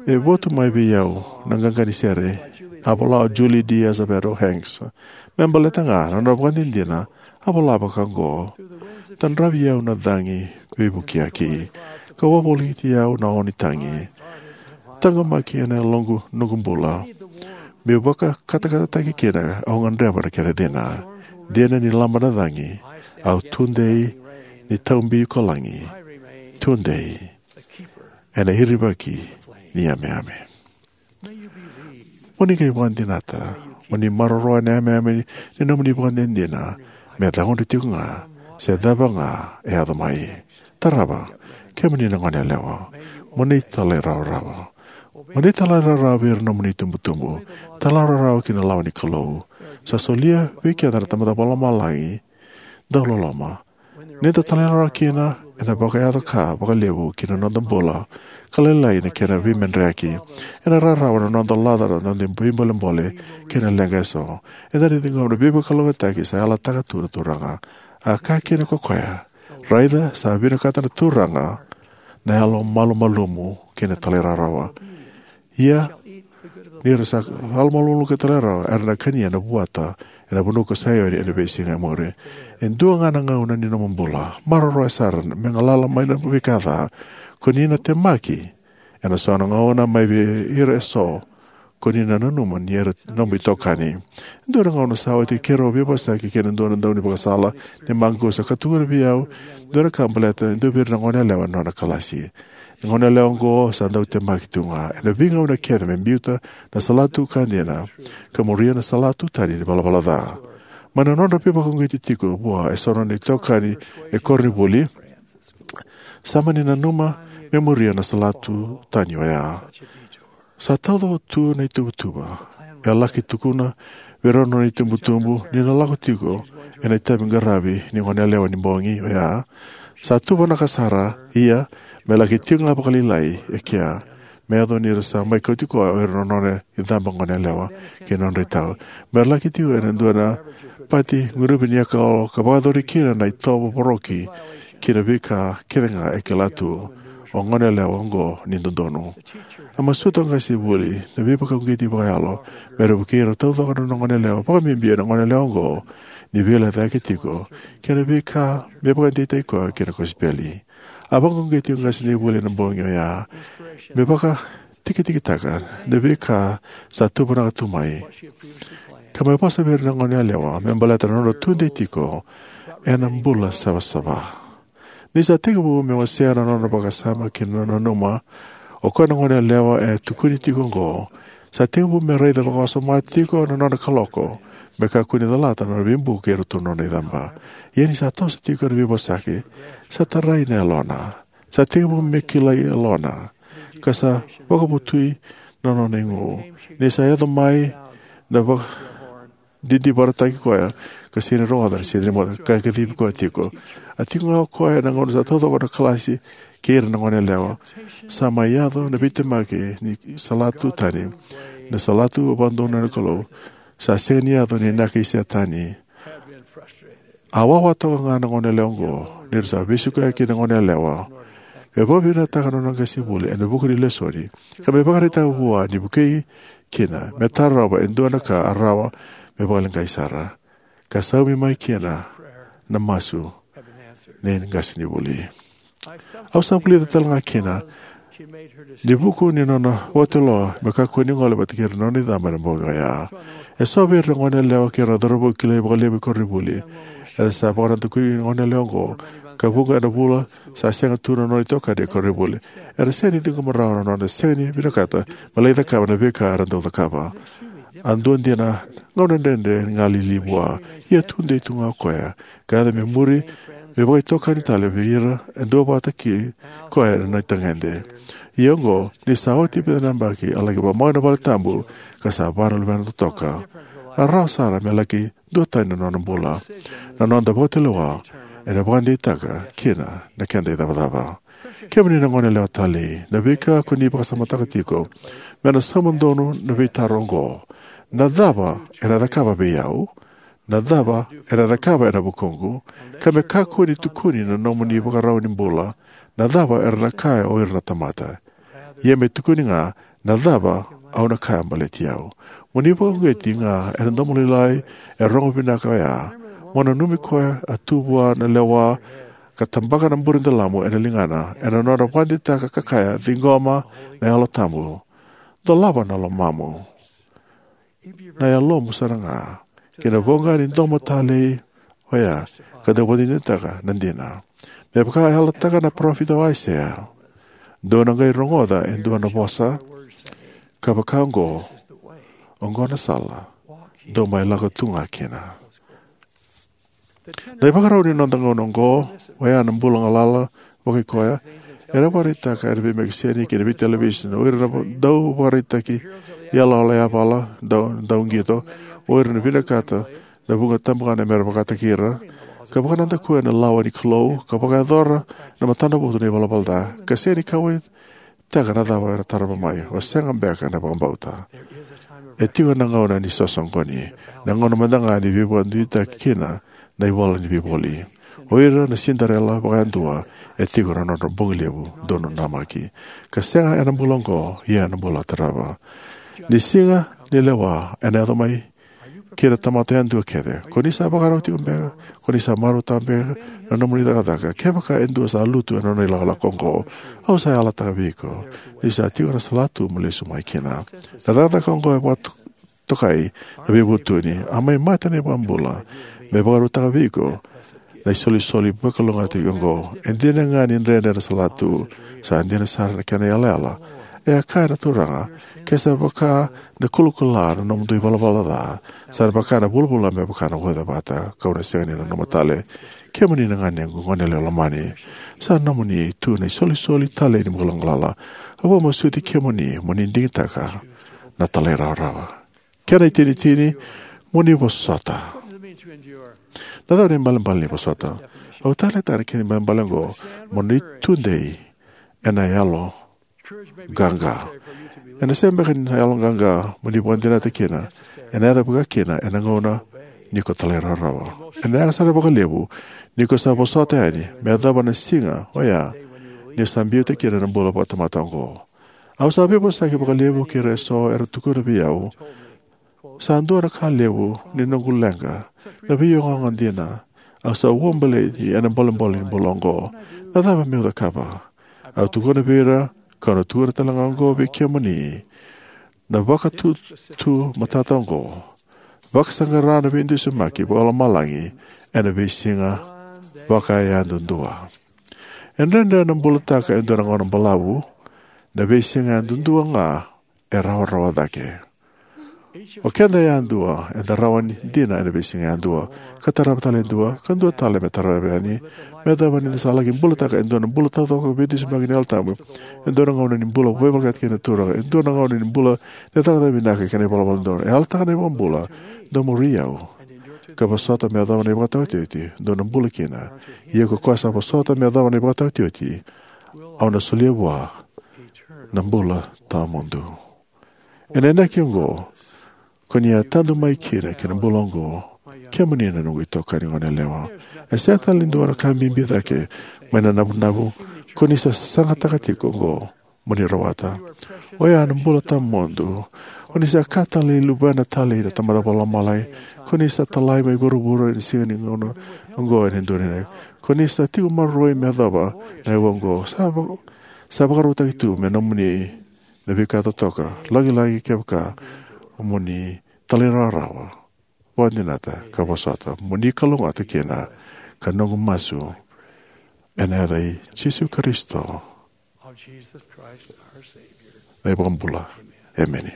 E votu mai vei au na qaqa ni sere, a vola o Julie D. Azevedo Hanks. Me baleta ga na nona vakadinadina, a vola vaka oqo: "Tadravi au na cagi veivukiyaki, ka wavoliti au na o ni tagi. Taqomaki ena yaloqu noqu bula, meu vakatakatataki kina, au gadreva na kena cina. Dina ni laba na cagi, au tudei ni taubi ko lagi, tudei ena irivaki ni yameyame." Mo ni qai vakadinata, mo ni maroroya na yameyame ni nomuni vakadinadina, me caudre tiko ga, se cava ga e yaco mai. Tarava, kemuni na goneyalewa, mo ni talairawarawa. Mo ni talairawarawa vei ira na nomuni itubutubu. Talairawarawa ki na lawa ni Kalou. Sa solia vei keda na Tamada Vakalomalagi dauloloma. Ni da talairawarawa kina, ena vakayaco ka vakalevu ki na noda bula, ka lailai na kena veimedreyaki. Ena rawarawa na noda laca na noda veibolebole kei na leqa eso. Eda na ciqoma na veivakalougatataki sa yalataka tu na Turaga. A kaya kina ko koya, "Raica, sa vinakata na Turaga na yalo malumalumu kei na talairawarawa. Ia ni ra sa yalo malumalumu kei na talairawarawa, era na kania na vuata ena vanua ko Saioni ena veisiga e muri." E dua ga na gauna ni nomu bula, maroroya sara me galala mai na veika ca. Ko ni na temaki ena so na gauna mai vei ira eso ko ni na nanuma ni era nomu itokani. Dua na gauna sa oti keirau veivosaki kei na dua na daunivakasala ni maqusa, ka tukuna vei au dua na ka baleta e dua vei ira na goneyalewa ena nona kalasi. Na goneyalewa oqo sa dau temaki tu ga ena veigauna kece me biuta na salatu ka dina, ka muria na salatu tani ni valavala ca. Mai na nodra veivakauqeti tiko vua eso na nona itokani e koronivuli, sa mani nanuma me muria na salatu tani oya. Sa taucoko tu na ituvatuva. E laki tukuna vei rau na nona itubutubu ni na lako tiko ena itavi qaravi ni goneyalewa ni bogi oya. Sa tuvanaka sara, ia me laki tiko ga vakalailai e kea, me yaco ni ra sa mai kauti koya o ira na nona icaba goneyalewa kei na nodra itau. Me ra laki tiko ena dua na pati gunuvi ni yakalolo ka vakayacori kina na itovo voroki ki na veika kece ga e kila tu o goneyalewa oqo ni dodonu. A masuta o qasenivuli na veivakauqeti vakayalo me ra vukei ira taucoko na nona goneyalewa, vakabibi na goneyalewa oqo, ni veilecayaki tiko kei na veika me vakadeitaki koya kei na kosipeli. A vakauqeti o qasenivuli ena bogi oya me vakatikitikitaka na veika sa tuvanaka tu mai, ka me vosa vei ira na goneyalewa me baleta na nodra tudei tiko ena bula savasava. Ni sa tekivu me wasea na nona vakasama kei na nona nanuma o koya na goneyalewa e tukuni tiko oqo, sa tekivu me raica vakawasoma tiko na nona kaloko me kakua ni calata na nona veibuku kei iratou na nona icaba. Ia ni sa toso tiko na veivosaki, sa tarai na yalona. Sa tekivu me kilai yalona, ka sa vakavotui na nona igu. Ni sa yaco mai na vakadidivarataki koya ka sega ni rogoca na sede ni moce, ka kacivi koya tiko. A tiko ga o koya ena gauna sa taucoko na kalasi kei ira na goneyalewa. Sa mai yaco na veitemaki ni salatu tani, na salatu vakadonui na Kalou. Sa sega ni yaco ni naki Setani. A wawa toka ga na goneyalewa oqo ni ra sa veisiko kina na goneyalewa me vakavinavinakataka na nona qasenivuli ena vuku ni lesoni, ka me vakaraitaka vua ni vukei kina me tarova e dua na ka a rawa me vakaleqai sara. ka saumi mai kina na masu ni qasenivuli. Au sa vulica tale ga kina ni vuku ni nona vakatulewa me kakua ni gole vata kei ira na nona icaba ena bogi oya. E so vei ira na goneyalewa kei ira na cauravou kilai vakalevu e koronivuli. Era sa vakanadakui na goneyalewa oqo, ka vuqa na vula sa sega tu na nona itokani e koronivuli. Era sega ni ciqoma rawa na nona sega ni vinakata me lai cakava na veika era dau cakava. A dua dina na gauna dredre ga lili vua, ia tudei tu ga o koya ka yaco me muri, me vakaitokani tale vei ira e duavata kei koya ena itagede. Ia oqo, ni sa oti vica na yabaki, a laki vakamau ena valetabu ka sa va na luvena totoka. A rawa sara me laki duatani na nona bula. Na noda vakatulewa ena vakadeitaka kina na keda icavacava. Kemuni na goneyalewa talei, na veika ko ni vakasamataka tiko me na sauma donu na veitaro oqo: Na cava ena cakava vei au? Na cava ena cakava ena vukuqu? Ka me kakua ni tukuni na nomuni ivakarau ni bula: Na cava era na kaya o ira na tamata? Ia me tukuni ga: Na cava au na kaya baleti au? Mo ni vakauqeti ga ena domo lailai e rogo vinaka oya. Mo nanumi koya a tu vua na lewa ka tabaka na buredalamu ena ligana ena nona vakadeitaka ka kaya: Ciqoma na Yalo Tabu. Dolava na lomamu, na yalomu sara ga, ki na voqa ni domo talei oya ka dau vakadinadinataka na dina. Me vaka e yalataka na parofita o Aisea: Dou na qai rogoca e dua na vosa ka vaka oqo: Oqo na sala, dou mai lako tu ga kina. Na ivakarau ni noda gauna oqo, oya na bula galala vakaikoya, era vakaraitaka ena veimekiseni kei na veitelevisoni o ira na dau vakaraitaki iyaloyalo yavala, dau, dau qito, o ira na vinakata na vuqa tabagana mera vakataki ira, ka vakanadakuya na lawa ni Kalou, ka vakayacora na matanavotu na ivalavala ca, ka sega ni kauwaitaka na cava era tarava mai. O sega beka na vakabauta? E tiko na gauna ni sosoqoni, na gauna mada ga ni veivakaduiduitaki kina na ivola ni veivoli. O ira na Cinderella vakayadua, e tiko na nodra bogi levu, dou nanamaki. Ka sega ena bula oqo, ia ena bula tarava. Ni siga ni lewa ena yaco mai kei ira na tamata yadua kece. Ko ni sa vakarau tiko beka? Ko ni sa marautaka beka na nomuni cakacaka? Kevaka e dua sa lutu ena nona ilakolako oqo, au sa yalataka vei iko ni sa tiko na salatu mo lesu mai kina. Na cakacaka oqo e vakatokai na veivutuni. A mai mate na iVakabula me vakarautaka vei iko na isolisoli vakalougatataki oqo. E dina ga ni dredre na salatu, sa dina sara na kena yalayala. E a kaya na Turaga: Ke sa vaka na kulakula na nomudou ivalavala ca, sa na vaka na vulavula me vaka na uca vata, kau na sega ni nanuma tale. Kemuni na ganequ goneyalewa lomani, sa nomuni tu na isolisoli talei ni bula galala. Au vakamasuti kemuni mo ni digitaka na talairawarawa. Kena itinitini, mo ni vosota. Na cava na ibalebale ni vosota? Au taleitaka na kena ibalebale oqo: mo ni tudei ena yaloqaqa. Ena sega beka na yaloqaqa mo ni vakadinata kina, ena yaco vaka kina ena gauna ni ko talairawarawa. Ena yaga sara vakalevu ni ko sa vosota yani me yacova na siga oya ni sa biuta kina na bula vakatamata oqo. Au sa veivosaki vakalevu kei ira eso era tukuna vei au, sa dua na ka levu ni noqu leqa, na veiogaoga dina. Au sa uabaleti ena bolebole ni bula oqo. Na cava meu cakava? Au tukuna vei ira, kau na tukuna tale ga oqo vei kemuni, na vakatutu matata oqo: vakasaqara na veidusimaki vakalomalagi ena veisiga vakayadudua. E dredre na bulataka e dua na gauna balavu. Na veisiga yadudua ga e rawarawa cake. O keda yadua eda rawa ni dina ena veisiga yadua, ka tarava tale e dua, ka dua tale me tarava yani, me yacova ni da sa laki bulataka e dua na bula taucoko, veidusimaki ni Yalo Tabu, e dua na gauna ni bula veivolekati kei na Turaga, e dua na gauna ni bula ni cakacaka vinaka kei na ivalavala dodonu. E yalataka na iVakabula: Dou muri au, ka vosota me yacova na ivakataotioti, dou na bula kina. Ia ko koya sa vosota me yacova na ivakataotioti, au na solia vua na bula tawamudu. Ena inaki oqo, ko ni a tadu mai kina ki na bula oqo, kemuni na noqu itokani goneyalewa. E sega tale ni dua na ka bibi cake mai na navunavu ko ni sa sasagataka tiko oqo. mo ni rawata. O ya na bula tawamudu. O ni sa ka talei luvena talei na Tamada Vakalomalagi. Ko ni sa talai mai vuravura ena siga ni gauna oqo ena dua na. Ko ni sa tiko maroroi me yacova na aua oqo. Sa, va, sa vakarautaki tu me nomuni na veika totoka. Lagilagi kevaka mo ni talairawarawa. Vakadinata ka vosota. Mo ni kalougata kina ka noqu masu. Ena yaca i Jisu Karisito. Na iVakabula. Emeni.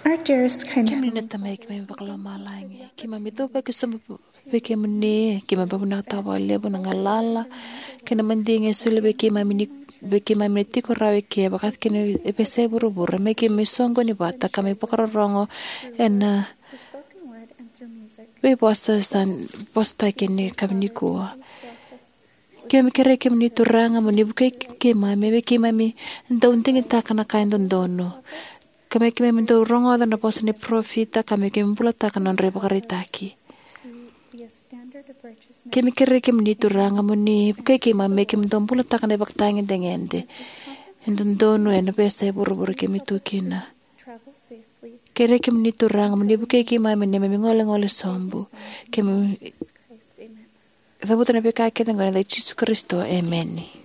Our dearest kind Heavenly Kemuni na Tamai keimami vakalomalagi, keimami cuva ki sobu vei kemuni, keimami vakavinavinakataka vakalevu na galala kei na madigi e solia vei keimami ni, vei keimami na tiko rawa eke, vakakina e veiyasai vuravura, me keimami soqoni vata ka mai vakarorogo ena veivosa sa vosataki ena yakavi nikua. Keimami kerei kemuni Turaga mo ni vukei keimami, me keimami dau digitaka na ka e dodonu. Ka me keimami dau rogoca na vosa ni parofita, ka me keimami bulataka na nodra ivakaraitaki. Keimami kerei kemuni Turaga mo ni vukei keimami me keimami dau bulataka na ivakatagedegede e dodonu ena veiyasai vuravura keimami tu kina. Kerei kemuni Turaga mo ni vukei keimami ena neimami golegole sobu. Keimami cavuta na veika kece oqo ena yaca i Jisu Karisito. Emeni.